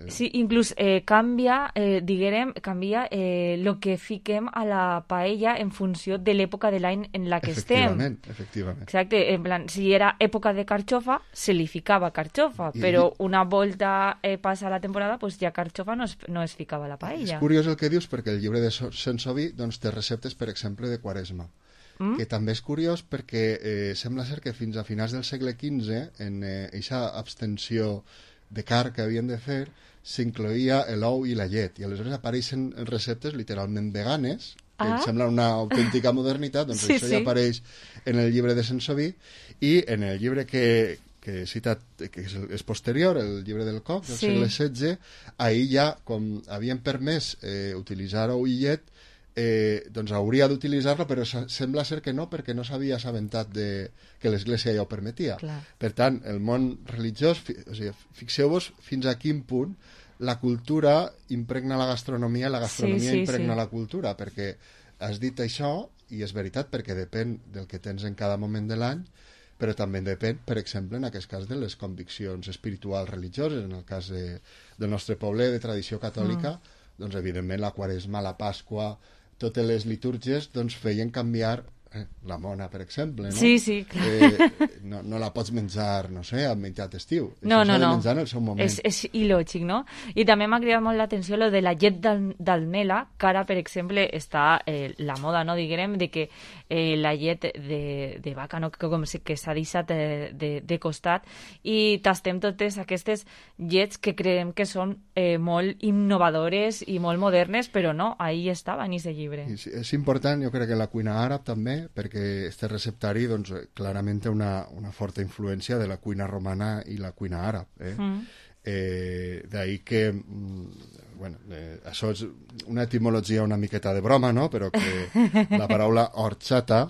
Eh... Sí, inclús eh, canvia, eh, diguem, canvia eh, lo que fiquem a la paella en funció de l'època de l'any en la que efectivament, estem. Efectivament, Exacte, en plan, si era època de carxofa, se li ficava carxofa, I... però una volta eh, passa la temporada, pues ja carxofa no es, no es ficava a la paella. És curiós el que dius, perquè el llibre de Sensoví doncs, té receptes, per exemple, de Quaresma. Mm? Que també és curiós perquè eh, sembla ser que fins a finals del segle quinze, en aquesta eh, abstenció de carn que havien de fer, s'incloïa l'ou i la llet, i aleshores apareixen receptes literalment veganes, que ah. em sembla una autèntica modernitat, doncs sí, això sí. ja apareix en el llibre de Sensoví, i en el llibre que, que he citat, que és, és posterior, el llibre del Coc, del Sí. segle setze, ahir ja, com havien permès eh, utilitzar oïllet, eh, doncs hauria d'utilitzar-lo, però sa- sembla ser que no, perquè no s'havia assabentat de, que l'Església ja ho permetia. Clar. Per tant, el món religiós, fi, o sigui, fixeu-vos fins a quin punt la cultura impregna la gastronomia i la gastronomia Sí, sí, impregna sí. la cultura, perquè has dit això, i és veritat, perquè depèn del que tens en cada moment de l'any, però també depèn, per exemple, en aquest cas de les conviccions espirituals religioses, en el cas de, del nostre poble de tradició catòlica, mm. doncs evidentment la Quaresma, la Pasqua, totes les litúrgies doncs feien canviar eh, la mona, per exemple, no? Sí, sí, clar. Eh, no, no la pots menjar, no sé, al menjat estiu. No, Això no, s'ha de no. menjar en el seu moment. És, és il·lògic, no? I també m'ha cridat molt l'atenció lo de la llet d'al- d'almela, que ara, per exemple, està eh, la moda, no, diguem, de que eh, la llet de, de vaca, no, que, com si- que s'ha deixat de, de, de costat, i tastem totes aquestes llets que creiem que són eh, molt innovadores i molt modernes, però no, ahí estava en aquest llibre. I sí, és important, jo crec que la cuina àrab també, perquè este receptari doncs, clarament té una, una forta influència de la cuina romana i la cuina àrab. Eh? Mm. Eh, D'ahir que, mm, bueno, eh, això és una etimologia una miqueta de broma, no? Però que la paraula horchata,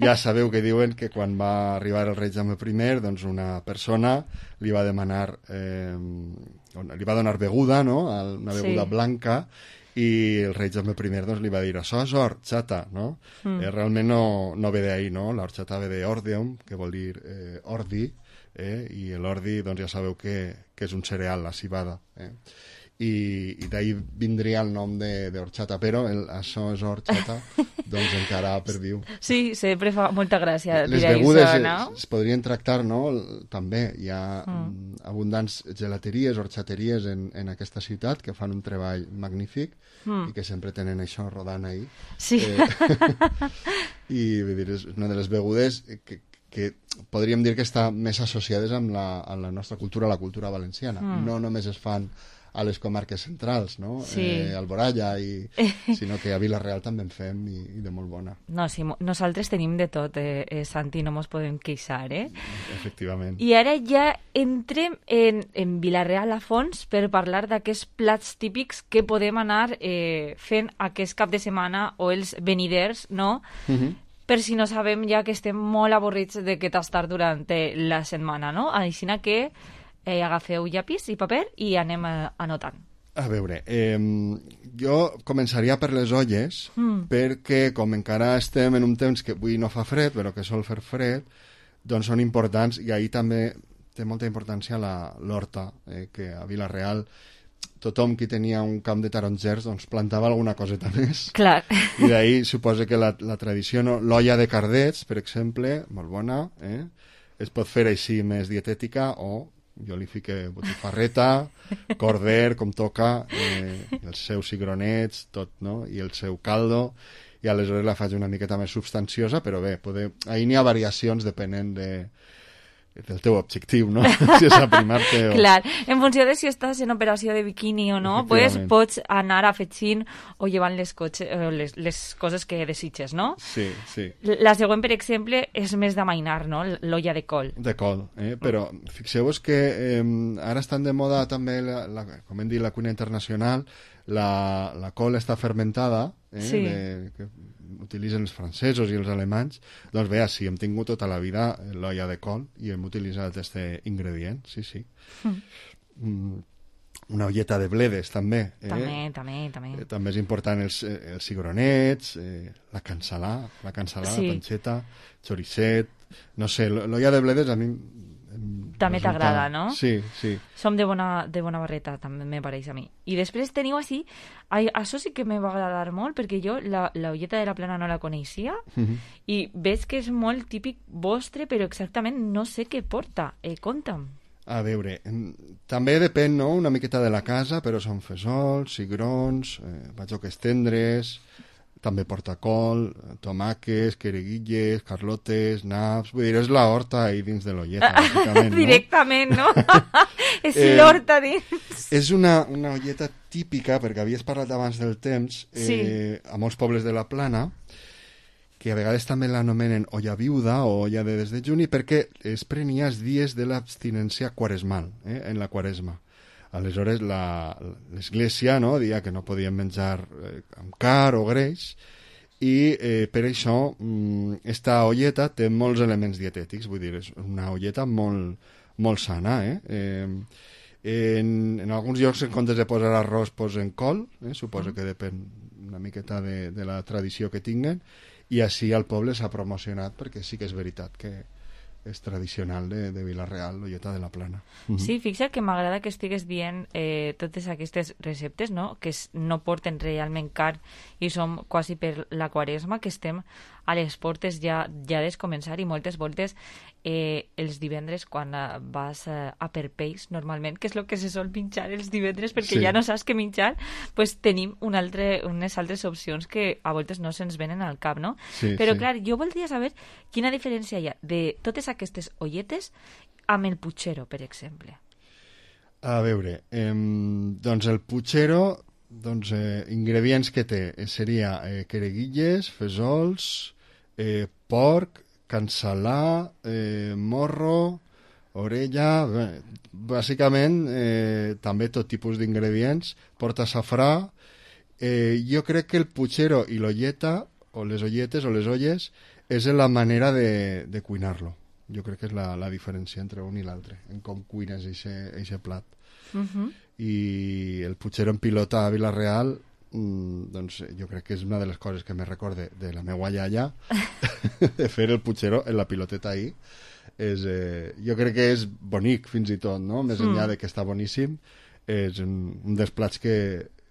ja sabeu que diuen que quan va arribar el rei Jaume I, doncs una persona li va demanar, eh, li va donar beguda, no? Una beguda Sí. blanca, i el rei Jaume I doncs, li va dir això és horchata, no? Mm. Eh, realment no, no ve d'ahir, no? L'horchata ve de ordeum, que vol dir eh, ordi, eh? I l'ordi, doncs ja sabeu que, que és un cereal, la cibada, eh? I, i d'ahir vindria el nom de, de horchata, però el, això és horchata, doncs encara perdiu. Sí, sempre fa molta gràcia Les dir begudes això, es, no? es podrien tractar, no? El- també hi ha Mm. mm. abundants gelateries, horxateries en, en aquesta ciutat que fan un treball magnífic Mm. i que sempre tenen això rodant ahí. Sí. Eh, I vull dir, és una de les begudes que, que podríem dir que està més associades amb la, amb la nostra cultura, la cultura valenciana. Mm. No només es fan a les comarques centrals, no? Sí. Eh, Alboraya, i, sinó que a Vila-real també en fem i, i de molt bona. No, sí, mo- nosaltres tenim de tot, eh, eh, Santi, no mos podem queixar, eh? Efectivament. I ara ja entrem en, en Vila-real a fons per parlar d'aquests plats típics que podem anar eh, fent aquest cap de setmana o els veniders, no? Mhm. Per si no sabem ja que estem molt avorrits de que tastar durant eh, la setmana, no? Així que eh, agafeu llapis i paper i anem eh, anotant. A veure, eh, jo començaria per les olles, Mm. perquè com encara estem en un temps que avui no fa fred, però que sol fer fred, doncs són importants, i ahir també té molta importància la- l'horta, eh, que a Vila-real tothom qui tenia un camp de tarongers doncs plantava alguna coseta més. Clar. I d'ahir suposa que la, la tradició, no? L'olla de cardets, per exemple, molt bona, eh? Es pot fer així més dietètica, o jo li fique botifarreta, corder, com toca, eh, els seus cigronets, tot, no? I el seu caldo, i aleshores la faig una miqueta més substanciosa, però bé, poder... ahir n'hi ha variacions depenent de, del teu objectiu, no? Si és aprimar-te o... Clar, en funció de si estàs en operació de biquini o no, pues, Efectivament. pots anar afegint o llevant les, cotxe, eh, les, les coses que desitges, no? Sí, sí. La següent, per exemple, és més d'amainar, no? L'olla de col. De col, eh? Però fixeu-vos que eh, ara estan de moda també, la, la, com hem dit, la cuina internacional, la, la col està fermentada, eh? Sí. De, que utilitzen els francesos i els alemanys. Doncs bé, sí, hem tingut tota la vida l'olla de col i hem utilitzat aquest ingredient, sí, sí. Mm. Mm, una olleta de bledes, també. Eh? També, també, també. Eh, també és important els, eh, els cigronets, eh, la cansalà, la cansalà, Sí. la panceta, choricet... No sé, l- l'olla de bledes a mi... em També resulta- t'agrada, no? Sí, sí. Som de bona, de bona barreta, també me pareix a mi. I després teniu així, ai, això sí que me va agradar molt, perquè jo la, la olleta de la plana no la coneixia, Mhm. i veig que és molt típic vostre, però exactament no sé què porta. Eh, conta'm. A veure, em, també depèn, no?, una miqueta de la casa, però són fesols, cigrons, eh, batxoques tendres, també porta col, tomàquets, quereguilles, carlotes, naps... Vull dir, és la horta ahí dins de l'olleta, bàsicament, no? Directament, no? és Eh, l'horta dins. És una, una olleta típica, perquè havies parlat abans del temps, eh, Sí. a molts pobles de la plana, que a vegades també l'anomenen olla viuda o olla de des de juni, perquè es prenia els dies de l'abstinència quaresmal, eh, en la quaresma. Aleshores, l'Església, no, deia que no podien menjar eh, amb car o greix, i eh, per això mm, esta olleta té molts elements dietètics, vull dir, és una olleta molt, molt sana, eh? eh en, en alguns llocs, en comptes de posar arròs, posen col, eh? Suposo que depèn una miqueta de, de la tradició que tinguen, i així al poble s'ha promocionat, perquè sí que és veritat que és tradicional de, de Vila-real, l'olleta de la Plana. Uh -huh. Sí, fixa't que m'agrada que estigues dient eh, totes aquestes receptes, no? Que es, no porten realment carn i som quasi per la quaresma, que estem a les portes ja, ja des començar, i moltes voltes eh, els divendres quan eh, vas eh, a per peix, normalment, que és el que se sol menjar els divendres perquè sí. ja no saps què menjar, pues tenim un altre, unes altres opcions que a voltes no se'ns venen al cap, no? Sí, Però sí. clar, jo voldria saber quina diferència hi ha de totes aquestes olletes amb el puchero, per exemple. A veure, eh, doncs el puchero, doncs, eh, ingredients que té eh, seria eh, quereguilles, fesols, eh, porc, cansalà, eh, morro, orella, bé, bàsicament eh, també tot tipus d'ingredients, porta safrà. Eh, jo crec que el puchero i l'olleta, o les olletes o les olles, és la manera de, de cuinar-lo. Jo crec que és la, la diferència entre un i l'altre, en com cuines aquest plat. Uh-huh. I el puchero en pilota a Vila-real, mm, doncs jo crec que és una de les coses que me recorde de la meua iaia, de fer el puchero en la piloteta ahí. És, eh, jo crec que és bonic fins i tot, no? Més enllà mm. de que està boníssim, és un, un dels plats que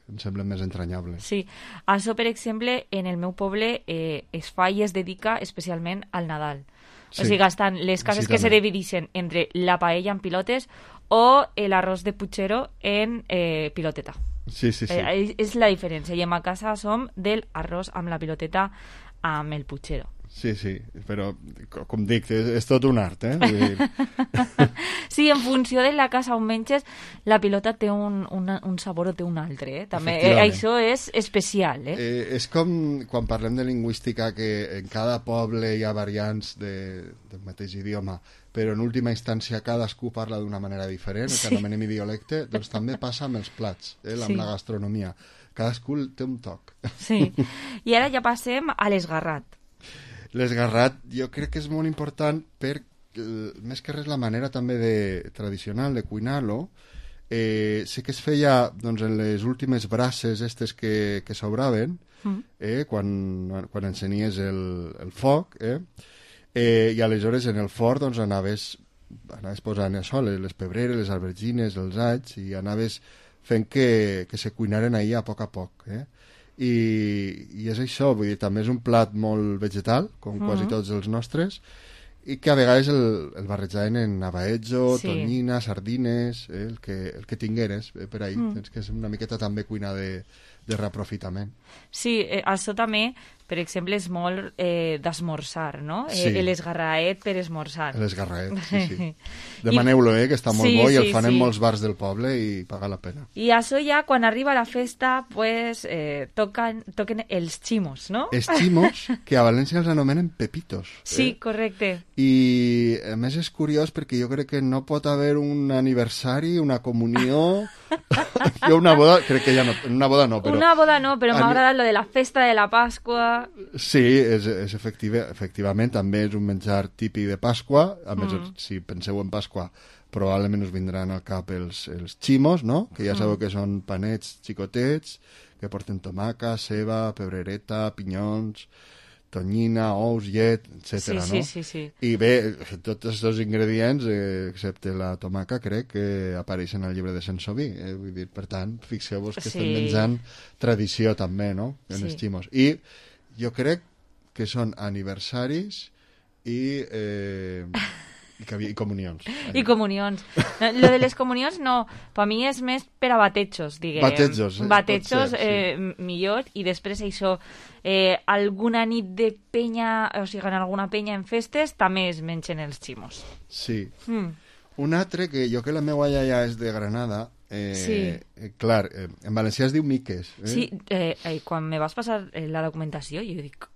em sembla més entranyable. Sí, això, per exemple, en el meu poble eh, es fa i es dedica especialment al Nadal. Sí. O sigui, estan les cases sí, que també se divideixen entre la paella en pilotes o l'arròs de puchero en eh, piloteta. Sí, sí, sí. Eh, és la diferència. I en ma casa som del arròs amb la piloteta amb el puchero. Sí, sí, però, com dic, és, és tot un art, eh? Vull dir... Sí, en funció de la casa on menges, la pilota té un, una, un sabor o té un altre, eh? També, eh, això és especial, eh? eh? És com quan parlem de lingüística, que en cada poble hi ha variants de, del mateix idioma, però en última instància cadascú parla d'una manera diferent, el que sí. anomenem idiolecte, doncs també passa amb els plats, eh? amb sí. la gastronomia. Cadascú té un toc. Sí, i ara ja passem a l'esgarrat. L'esgarrat jo crec que és molt important per, eh, més que res, la manera també de, tradicional de cuinar-lo. Eh, sé que es feia doncs, en les últimes braces estes que, que s'obraven, mm. eh, quan, quan encenies el, el foc, eh, eh, i aleshores en el forn doncs, anaves, anaves posant això, les, les pebreres, les albergines, els alls, i anaves fent que, que se cuinaren ahir a poc a poc, eh? I, i és això, vull dir, també és un plat molt vegetal, com mm-hmm. quasi tots els nostres, i que a vegades el, el barrejaven en abaetjo, sí. tonyina, sardines, eh, el, que, el que tingueres eh, per ahí. Mm. És que és una miqueta també cuina de, de reaprofitament. Sí, eh, això també, per exemple, és molt eh, d'esmorzar, no? Sí. Eh, l'esgarraet per esmorzar. L'esgarraet, sí, sí. Demaneu-lo, eh, que està molt sí, bo i sí, el fan sí. en molts bars del poble i paga la pena. I això ja, quan arriba la festa, pues, eh, toquen, toquen els ximos, no? Els ximos, que a València els anomenen pepitos. Sí, eh? correcte. I, a més, és curiós perquè jo crec que no pot haver un aniversari, una comunió... jo una boda, crec que ja no, una boda no, però... Una boda no, però m'ha agradat lo de la festa de la Pasqua. Sí, és, és efectiva, efectivament, també és un menjar típic de Pasqua, a més, mm. si penseu en Pasqua, probablement us vindran al cap els, els ximos, no? Que ja sabeu mm. que són panets xicotets, que porten tomaca, ceba, pebrereta, pinyons... tonyina, ous, llet, etcètera. Sí, no? sí, sí, sí. I bé, tots aquests ingredients, eh, excepte la tomaca, crec que apareixen al llibre de Sensoví. Eh? Vull dir, per tant, fixeu-vos que sí. estem menjant tradició també, no?, en sí. els ximos. I jo crec que són aniversaris i... Eh, I, i comunions. I comunions. Lo de les comunions no, per mi és més per a batejos, diguem. Batejos, eh? Batejos, ser, eh, sí. millor, i després això, eh, alguna nit de penya, o sigui, en alguna penya en festes, també es mengen els ximos. Sí. Mm. Un altre, que jo que la meva iaia és de Granada, eh, sí. eh, clar, eh, en valencià es diu miques. Eh? Sí, eh, eh, quan me vas passar eh, la documentació, jo dic,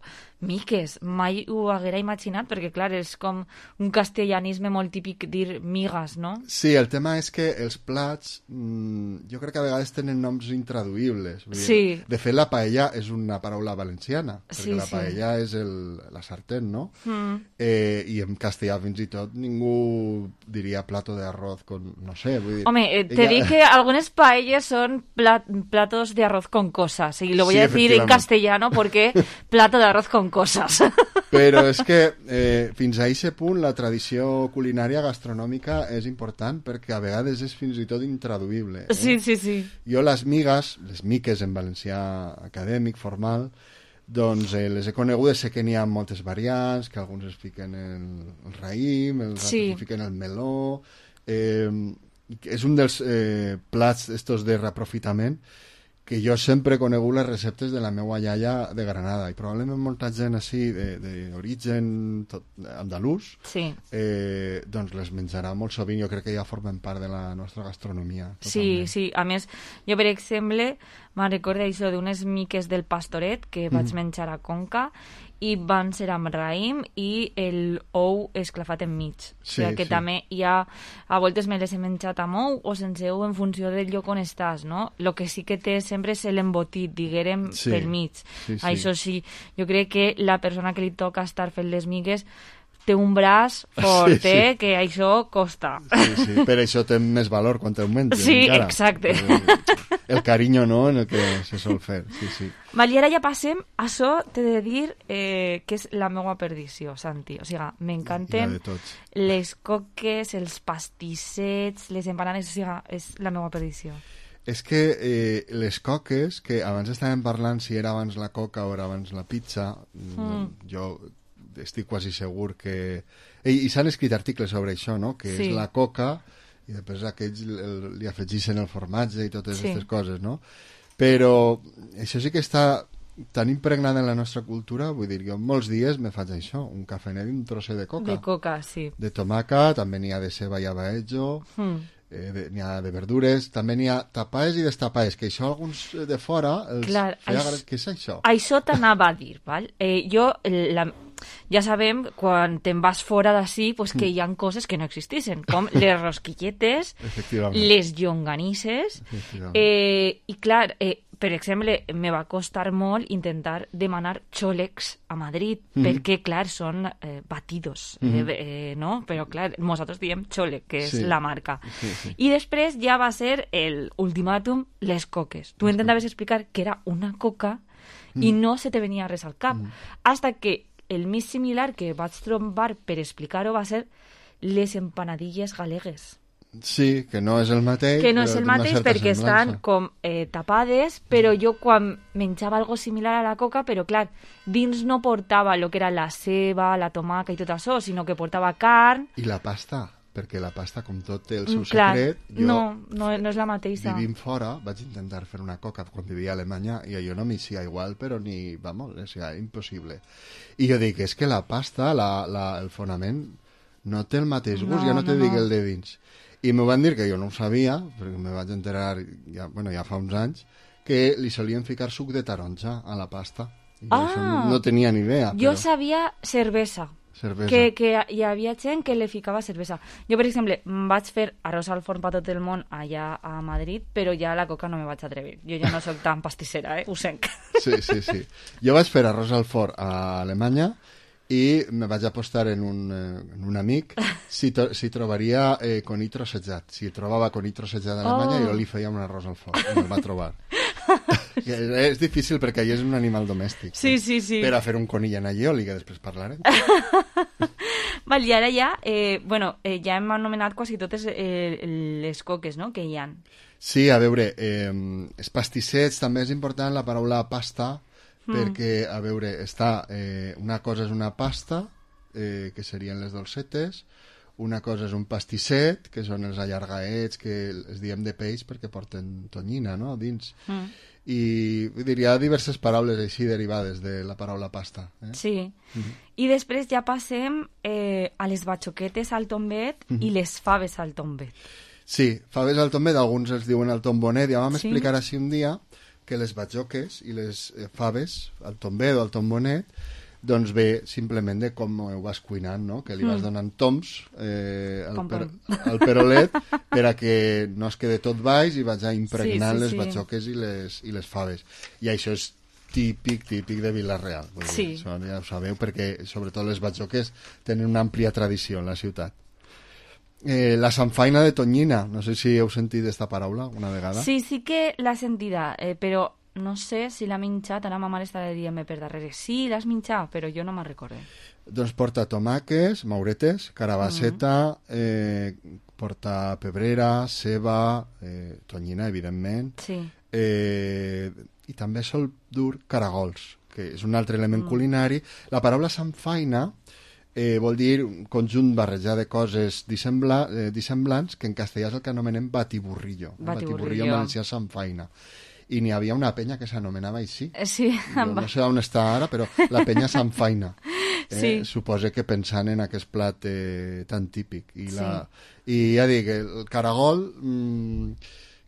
miques, mai ho haguera imaginat, perquè, clar, és com un castellanisme molt típic dir migas, no? Sí, el tema és que els plats, mmm, jo crec que a vegades tenen noms intraduïbles. Vull dir, sí. De fet, la paella és una paraula valenciana, perquè sí, la paella sí. és el, la sartén, no? Mm. Eh, I en castellà, fins i tot, ningú diria plato de arroz con... no sé, vull dir... Home, eh, te ella... dic que algunes paelles son plat, platos de arroz con cosas, y lo voy sí, a decir en castellano porque plato de arroz con cosas. Però és que eh, fins a aquest punt la tradició culinària gastronòmica és important perquè a vegades és fins i tot intraduïble. Eh? Sí, sí, sí. Jo les migues, les miques en valencià acadèmic, formal, doncs eh, les he conegudes, sé que n'hi ha moltes variants, que alguns es fiquen el, el raïm, els sí. altres fiquen el meló... Eh, és un dels eh, plats estos de reaprofitament que jo sempre he conegut les receptes de la meva iaia de Granada i probablement molta gent així d'origen andalús sí. eh, doncs les menjarà molt sovint, jo crec que ja formen part de la nostra gastronomia totalment. Sí, sí, a més jo per exemple me'n recordo això d'unes miques del Pastoret que vaig mm. menjar a Conca i van ser amb raïm i el ou esclafat enmig. Sí, o sigui que sí. també hi ha... A voltes me les he menjat amb ou o sense ou en funció del lloc on estàs, no? El que sí que té sempre és l'embotit, diguérem, sí. pel mig. Sí, sí. Això sí, jo crec que la persona que li toca estar fent les migues té un braç fort, sí, sí. Eh, que això costa. Sí, sí, per això té més valor quan te'l menges. Sí, encara. Exacte. El, el carinyo, no?, en el que se sol fer, sí, sí. Vale, ara ja passem, això t'he de dir eh, que és la meva perdició, Santi. O sigui, m'encanten les coques, els pastissets, les empanades, o sigui, és la meva perdició. És que eh, les coques, que abans estàvem parlant si era abans la coca o era abans la pizza, mm. jo... estic quasi segur que... I, i s'han escrit articles sobre això, no? Que sí. és la coca i després aquells el, li afegixen el formatge i totes aquestes sí. coses, no? Però això sí que està tan impregnada en la nostra cultura, vull dir, jo molts dies me faig això, un cafenet i un trosset de coca. De coca, sí. De tomaca, també n'hi ha de ceba i abaejo, mm. eh, n'hi ha de verdures, també n'hi ha tapaes i destapaes, que això alguns de fora els Clar, feia... això, Què és això? Això t'anava a dir, val? Eh, jo... La... Ja sabem, quan te'n vas fora d'ací, pues, que hi ha coses que no existeixen, com les rosquilletes, les llonganisses, eh, i clar, eh, per exemple, me va costar molt intentar demanar xòlegs a Madrid, mm-hmm. perquè, clar, són eh, batidos, mm-hmm. eh, eh, no? Però, clar, nosaltres diem xòleg, que és sí. la marca. Sí, sí. I després ja va ser el ultimàtum, les coques. Tu intentaves explicar que era una coca mm. i no se te venia res al cap, mm. hasta que el més similar que vaig trobar per explicar-ho va ser les empanadilles galegues. Sí, que no és el mateix. Que no és el mateix perquè estan com eh, tapades, però jo quan menjava algo similar a la coca, però clar, dins no portava el que era la ceba, la tomaca i tot això, sinó que portava carn... I la pasta, perquè la pasta, com tot, té el seu clar, secret. Jo, no, no, no és la mateixa. Vivint fora, vaig intentar fer una coca quan vivia a Alemanya i jo no m'hi sia igual, però ni, vamos, és impossible. I jo dic, és que la pasta, la, la, el fonament, no té el mateix gust, no, ja no, no te no. dic el de dins. I m'ho van dir que jo no ho sabia, perquè me vaig enterar ja, bueno, ja fa uns anys, que li solien ficar suc de taronja a la pasta. I ah, això no, no tenia ni idea. Jo però... sabia cervesa. Cervesa. Que, que hi havia gent que li ficava cervesa. Jo, per exemple, vaig fer arròs al forn per tot el món allà a Madrid, però ja a la coca no me vaig atrevir. Jo ja no soc tan pastissera, eh? Ho senc. Sí, sí, sí. Jo vaig fer arròs al forn a Alemanya i me vaig apostar en un, eh, en un amic si, to, si trobaria eh, conill trossejat. Si trobava conill trossejat a Alemanya, oh. jo li feia un arròs al forn. I me'l va trobar. És difícil perquè allà és un animal domèstic. Sí, sí, sí. Per a fer un conill en allioli, que després parlarem. Val, i ara ja, eh, bueno, eh, ja hem anomenat quasi totes eh, les coques, no?, que hi ha. Sí, a veure, eh, els pastissets, també és important la paraula pasta, mm. perquè, a veure, està, eh, una cosa és una pasta, eh, que serien les dolcetes, una cosa és un pastisset, que són els allargaets, que els diem de peix perquè porten tonyina, no?, dins. Mm. I diria diverses paraules així derivades de la paraula pasta. Eh? Sí. Mm-hmm. I després ja passem eh, a les batxoquetes al tombet mm-hmm. i les faves al tombet. Sí, faves al tombet, alguns els diuen al tombonet. Ja vam sí. explicar així un dia que les batxoques i les eh, faves al tombet o al tombonet doncs ve simplement de com ho vas cuinant, no? Que li vas donant toms eh, al, per, al perolet per a que no es quede tot baix i vaig impregnant sí, sí, les sí. batxoques i les, i les faves. I això és típic, típic de Vila-real. Sí. Això ja ho sabeu, perquè sobretot les batxoques tenen una àmplia tradició en la ciutat. Eh, la sanfaina de tonyina, no sé si heu sentit aquesta paraula una vegada. Sí, sí que l'ha sentida, eh, però no sé si l'ha minxat, ara ma mare està dient-me per darrere. Sí, l'has minxat, però jo no me'n recordo. Doncs porta tomàquets, mauretes, carabasseta, mm. eh, porta pebrera, ceba, eh, tonyina, evidentment, sí. eh, i també sol dur caragols, que és un altre element Mm. culinari. La paraula sanfaina eh, vol dir un conjunt barrejat de coses dissembla, eh, dissemblants, que en castellà és el que anomenem batiburrillo. Batiburrillo. Batiburrillo en valencià sanfaina. I n'hi havia una penya que s'anomenava així. Sí. Jo no sé on està ara, però la penya sanfaina. Eh? Sí. Suposa que pensant en aquest plat eh, tan típic. I, Sí. la, I ja dic, el caragol... Mm,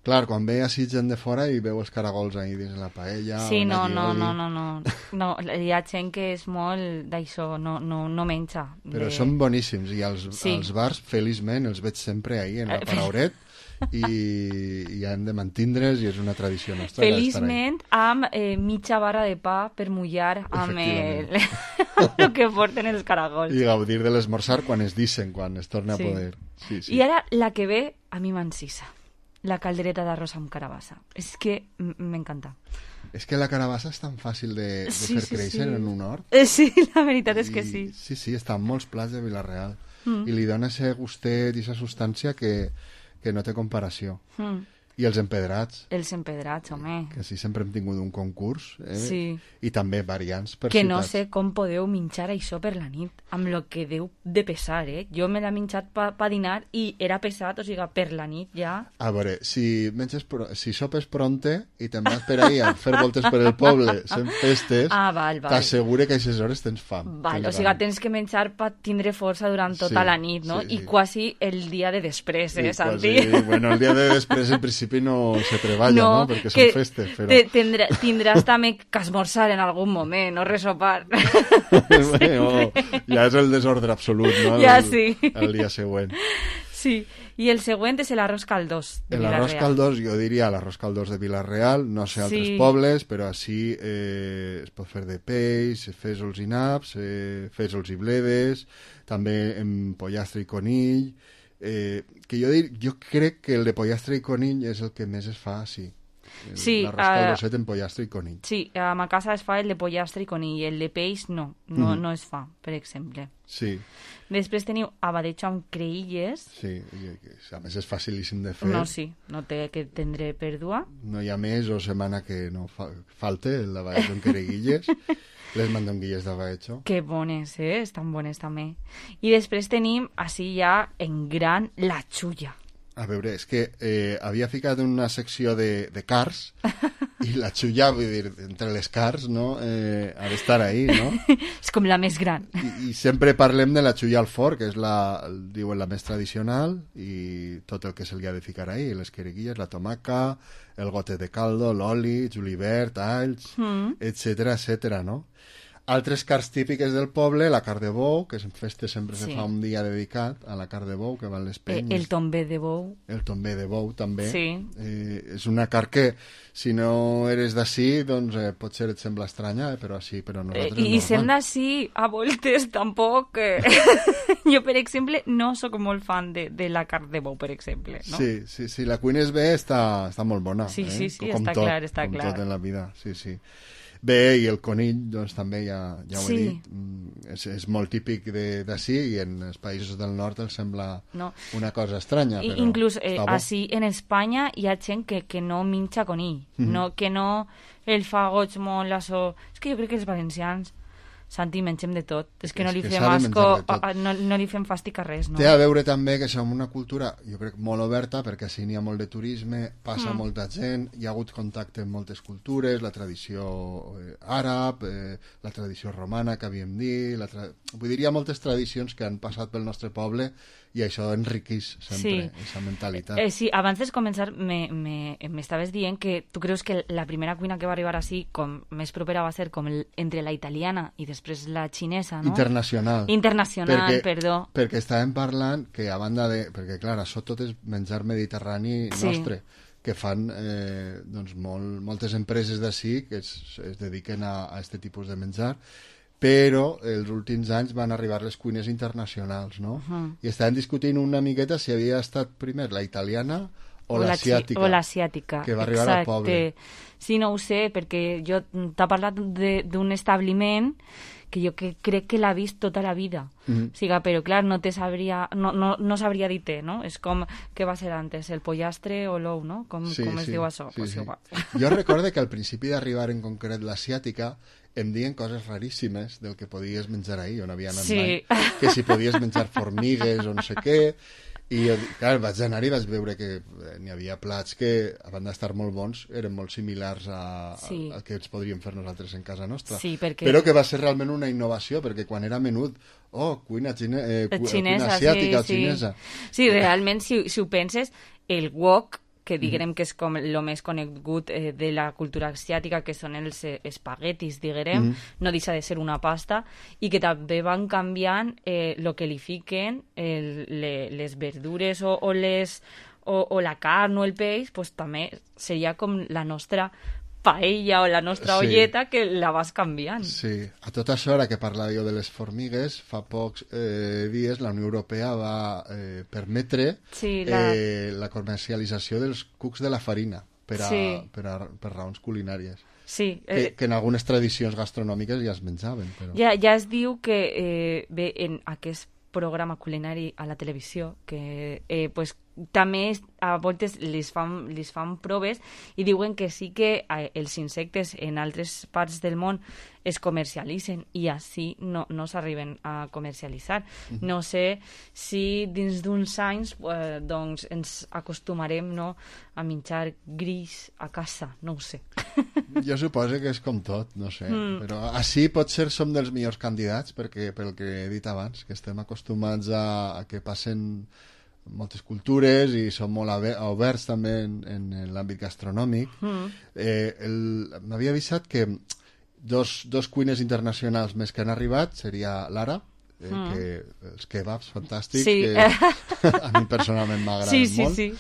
clar, quan ve així gent de fora i veu els caragols ahí dins la paella... Sí, o no, allí, no, oli. no, no, no, no, hi ha gent que és molt d'això, no, no, no menja. Però de... són boníssims i als, Sí. als bars, feliçment, els veig sempre ahí en la Parauret i, i han de mantindre's i és una tradició nostra. Feliçment, amb eh, mitja barra de pa per mullar amb el, el que porten els caragols. I gaudir de l'esmorzar quan es dicen, quan es torna Sí. a poder. Sí, sí. I ara la que ve a mi m'encisa, la caldereta d'arròs amb carabassa. És que m- m'encanta. És que la carabassa és tan fàcil de, de Sí, fer sí, créixer sí. en un hort. Eh, sí, la veritat és que I- sí. Sí, sí, està en molts plats de Vila-real. Mm. I li dona ese gustet i esa substància que, que no té comparació. Mm. I els empedrats, Els empedrats, home. que sí, sempre hem tingut un concurs. Eh? Sí. I també variants per Que no ciutats. sé com podeu minxar això per la nit, amb lo que deu de pesar, eh? Jo me l'he minxat pa, pa dinar i era pesat, o sigui, per la nit ja... A veure, si, menges pro... si sopes pronte i te'n vas per ahí a fer voltes per el poble, sent festes, Ah, val, val. t'assegure que a aquestes hores tens fam. Val, o tens sigui, gana. tens que menjar per tindre força durant tota Sí, la nit, no? sí, I sí. quasi el dia de després, eh, I Santi? quasi, bueno, el dia de després en principi no se treballa, no? no? Perquè que són festes, però... te- tindrà, tindràs també que esmorzar en algun moment, no resopar. Bueno, ja és el desordre absolut, no? El, Ja sí. El dia següent. Sí, i el següent és l'arròs caldós de L'arròs Vila-real. caldós, jo diria l'arròs caldós de Vila-real, no sé altres Sí. pobles, però així eh, es pot fer de peix, fesols i naps, eh, fesols i bledes, també en pollastre i conill, eh, que jo, dir, jo crec que el de pollastre i conill és el que més es fa, sí. El- Sí, l'arròs eh, caldoset en pollastre i conill. Sí, a ma casa es fa el de pollastre i conill, el de peix no, no, Mhm. no es fa, per exemple. Sí, Després teniu abadejo amb creïlles. sí, i- a més és facilíssim de fer. No, sí, no té que tindre pèrdua. No hi ha mes o setmana que no fa, falte el d'abadejo en quereguilles, les mandonguilles d'abadejo. Que bones, eh? Estan bones també. I després tenim, així ja en gran, la xulla. A veure, és que eh, havia ficat una secció de, de cars i la xulla, vull dir, entre les cars, no? Eh, ha d'estar ahí, no? És com la més gran. I, I sempre parlem de la xulla al forn, que és la, el- diuen, la més tradicional, i tot el que se li ha de ficar ahí, les quereguilles, la tomaca, el gote de caldo, l'oli, julivert, alls, Mm. etcètera, etcètera, no? Altres cars típiques del poble, la carn de bou, que en festes sempre Sí. se fa un dia dedicat a la carn de bou, que van les Eh, penyes. el tombé de bou. El tombé de bou, també. Sí. Eh, és una carn que, si no eres d'ací, doncs eh, potser et sembla estranya, eh, però sí, però a Eh, nosaltres I és sent normal. així, a voltes, tampoc... Eh... jo, per exemple, no sóc molt fan de, de la carn de bou, per exemple. No? Sí, sí, sí, la cuines bé està, està molt bona. Sí, eh? sí, sí, com està tot, clar, està com clar. tot en la vida, sí, sí. Bé, i el conill, doncs també ja, ja ho Sí. he dit, mm, és, és molt típic de- d'ací i en els països del nord els sembla No. una cosa estranya, I, però inclús eh, està bo. així en Espanya hi ha gent que, que no minxa conill, Mhm. no, que no el fa goig molt això. És que jo crec que els valencians, Santi, mengem de tot. És que no És li que fem s'ha de asco, menjar de tot. a- a- no, no li fem fàstic a res, no? Té a veure també que som una cultura, jo crec, molt oberta, perquè així n'hi ha molt de turisme, passa Mm. molta gent, hi ha hagut contacte amb moltes cultures, la tradició eh, àrab, eh, la tradició romana, que havíem dit, la tra... vull dir, hi ha moltes tradicions que han passat pel nostre poble i això enriqueix sempre, aquesta mentalitat. Eh, sí, abans de començar me- me- m'estaves dient que tu creus que la primera cuina que va arribar així com més propera va ser com el, entre la italiana i després la xinesa, no? Internacional. Internacional, perquè, perdó. Perquè estàvem parlant que a banda de... Perquè, clar, això tot és menjar mediterrani Sí. nostre, que fan eh, doncs molt, moltes empreses d'ací que es, es dediquen a, a aquest tipus de menjar, però els últims anys van arribar les cuines internacionals, no? Uh-huh. I estaven discutint una miqueta si havia estat primer la italiana o, O la l'asiàtica. O l'asiàtica, que va arribar exacte. al poble. Sí, no ho sé, perquè jo t'ha parlat de- d'un establiment que jo que crec que l'ha vist tota la vida. Mhm. O sigui, però clar, no te sabria, no, no, no sabria dir-te, no? És com, què va ser antes, el pollastre o l'ou, no? Com, Sí, com es sí, diu això? sí, Pues sí. igual. Jo recorde que al principi d'arribar en concret l'asiàtica em diuen coses raríssimes del que podies menjar ahir, on havia anat Sí. mai. Que si podies menjar formigues o no sé què. I jo, clar, vaig anar i vaig veure que eh, n'hi havia plats que, a banda d'estar molt bons, eren molt similars a, Sí. a, a que ens podríem fer nosaltres en casa nostra. Sí, perquè- Però que va ser realment una innovació, perquè quan era menut, oh, cuina, xine, eh, cu, Xinesa, cuina asiàtica sí, o xinesa. Sí, sí realment, si, si ho penses, el wok, que diguem que és com el més conegut eh, de la cultura asiàtica, que són els eh, espaguetis, diguem, Mhm. no deixa de ser una pasta, i que també van canviant el eh, que li fiquen, el, le, les verdures o, o, les, o, o la carn o el peix, pues, també seria com la nostra paella o la nostra Sí. olleta, que la vas canviant. Sí, a tot això, ara que parlava jo de les formigues, fa pocs eh, dies la Unió Europea va eh, permetre Sí, la- eh, la comercialització dels cucs de la farina per, a, Sí. per, a, per raons culinàries. Sí, Que, eh, que en algunes tradicions gastronòmiques ja es menjaven. Però... Ja, ja es diu que eh, ve en aquest programa culinari a la televisió que eh, pues, també es- a voltes les fan, les fan proves i diuen que sí que eh, els insectes en altres parts del món es comercialitzen i així no, no s'arriben a comercialitzar. Mhm. No sé si dins d'uns anys eh, doncs ens acostumarem, no, a menjar gris a casa, no ho sé. Jo suposo que és com tot, no sé. Mm. Però així potser som dels millors candidats, perquè pel que he dit abans, que estem acostumats a, a que passen moltes cultures i som molt abe- oberts també en, en, en l'àmbit gastronòmic. Mm. Eh, el- M'havia avisat que dos, dos cuines internacionals més que han arribat seria l'Ara, eh, Mm. que els kebabs fantàstics, Sí. que a mi personalment m'agraden Sí, sí, molt. sí.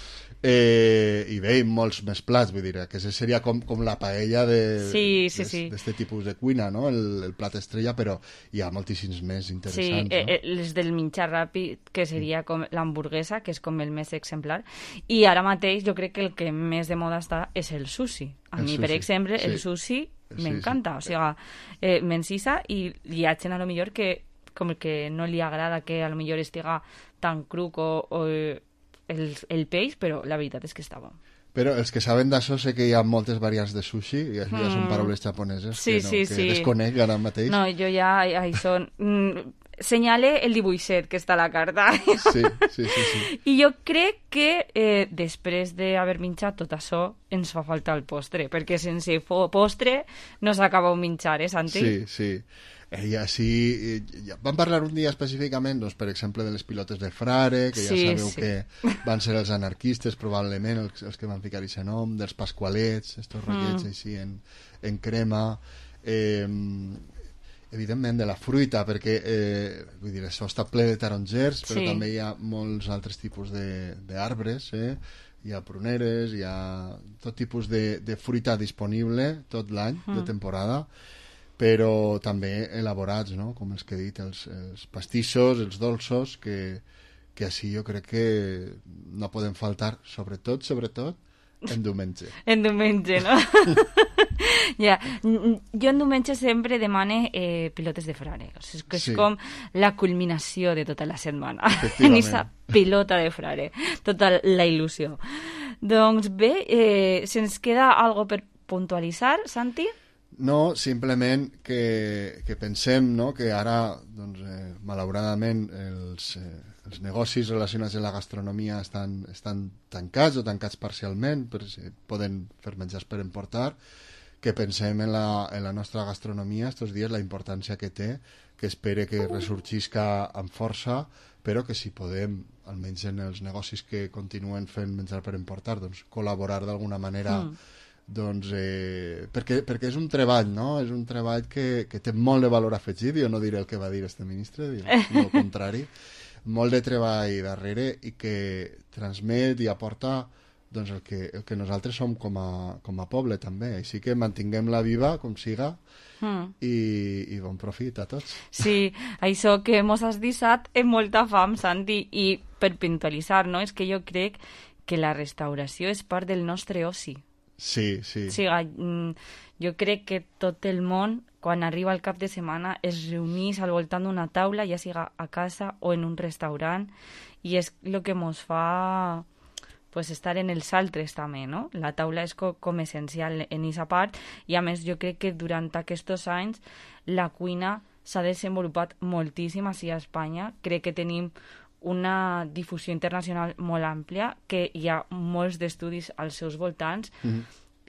Eh, i bé, i molts més plats, vull dir, que seria com, com la paella de Sí, sí, d'es- sí. d'este tipus de cuina, no? El, el plat estrella, però hi ha moltíssims més Sí, interessants, eh, no? eh, les del menjar ràpid, que seria com l'hamburguesa, que és com el més exemplar. I ara mateix jo crec que el que més de moda està és el sushi. A El mi, per sushi, exemple, el sí. sushi Sí, m'encanta. sí. O sigui, eh, m'encisa i hi ha gent a lo millor que com que no li agrada que a lo millor estiga tan cruc o, o eh, el, el peix, però la veritat és que està bo. Però els que saben d'això sé que hi ha moltes variants de sushi i això ja són Mm. paraules japoneses Sí, que, no, sí, que sí. desconec ara mateix. No, jo ja, això... Mm, senyale el dibuixet que està a la carta. Sí, sí, sí, sí. I jo crec que eh, després d'haver menjat tot això ens fa falta el postre, perquè sense fo- postre no s'acaba un menjar, eh, Santi? Sí, sí. Eh, I així, eh, ja vam parlar un dia específicament, doncs, per exemple, de les pilotes de Frare, que ja Sí, sabeu sí. que van ser els anarquistes, probablement, els, els que van ficar aquest nom, dels pasqualets, estos ratllets Mm. així en, en crema, eh, evidentment de la fruita, perquè eh, vull dir, això està ple de tarongers, però Sí. també hi ha molts altres tipus de- d'arbres, eh? Hi ha pruneres, hi ha tot tipus de, de fruita disponible tot l'any, de Mm. temporada, però també elaborats, no? Com els que he dit, els, els pastissos, els dolços, que, que així jo crec que no poden faltar, sobretot, sobretot, en diumenge. En diumenge, no? ja. N- Jo en diumenge sempre demane eh, pilotes de frare. O sigui, que és Sí. com la culminació de tota la setmana. En Efectivament. aquesta pilota de frare. Tota la il·lusió. Doncs bé, eh, se'ns queda algo per puntualitzar, Santi? No, simplement que, que pensem, no?, que ara, doncs, eh, malauradament, els, eh, els negocis relacionats amb la gastronomia estan, estan tancats o tancats parcialment, per, si poden fer menjars per emportar, que pensem en la, en la nostra gastronomia estos dies, la importància que té, que espere que ressorgisca amb força, però que si podem, almenys en els negocis que continuen fent menjar per emportar, doncs col·laborar d'alguna manera Mm. doncs, eh, perquè, perquè és un treball, no? És un treball que, que té molt de valor afegit. Jo no diré el que va dir este ministre, diré el contrari. Molt de treball darrere i que transmet i aporta doncs, el, que, el que nosaltres som com a, com a poble també. Així que mantinguem-la viva com siga mm. i, i bon profit a tots. Sí, això que mos has deixat és molta fam, Santi, i per puntualitzar, no? És que jo crec que la restauració és part del nostre oci. Sí, sí. O sigui, jo crec que tot el món, quan arriba el cap de setmana, es reunís al voltant d'una taula, ja siga a casa o en un restaurant, i és el que ens fa pues, estar en els altres també, no? La taula és co com essencial en aquesta part, i a més jo crec que durant aquests anys la cuina s'ha desenvolupat moltíssim així a Espanya. Crec que tenim una difusió internacional molt àmplia, que hi ha molts d'estudis als seus voltants, mm-hmm.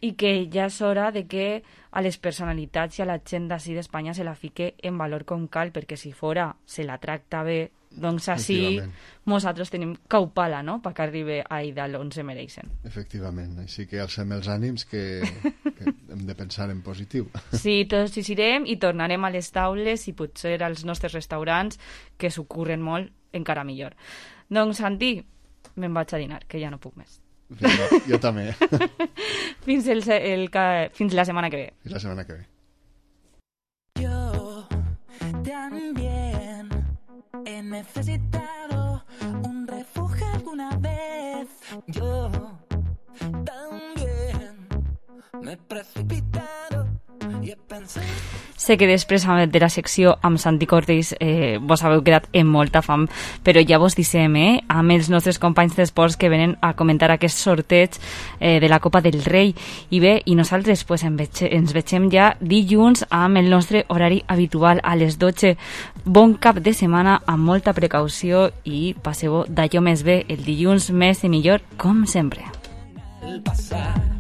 i que ja és hora de que a les personalitats i a la gent d'ací d'Espanya se la fique en valor com cal, perquè si fora se la tracta bé, doncs així nosaltres tenim caupala, no?, perquè arribi a Idal on se mereixen. Efectivament, així que alcem els ànims que, que hem de pensar en positiu. Sí, tots hi serem i tornarem a les taules i potser als nostres restaurants, que s'ocorren molt, encara millor. Doncs, Santi, me'n vaig a dinar, que ja no puc més. Vinga, jo també. fins, el, el, fins la setmana que ve. Fins la setmana que ve. Yo también he necesitado un refugio alguna vez. Yo también me he precipitado y he pensado... Sé que després de la secció amb Santi Cortés eh, vos haveu quedat en molta fam, però ja vos dissem, eh, amb els nostres companys d'esports que venen a comentar aquest sorteig eh, de la Copa del Rei. I bé, i nosaltres pues, ens vegem ja dilluns amb el nostre horari habitual a les dotze. Bon cap de setmana, amb molta precaució, i passeu d'allò més bé el dilluns més i millor, com sempre. El pasar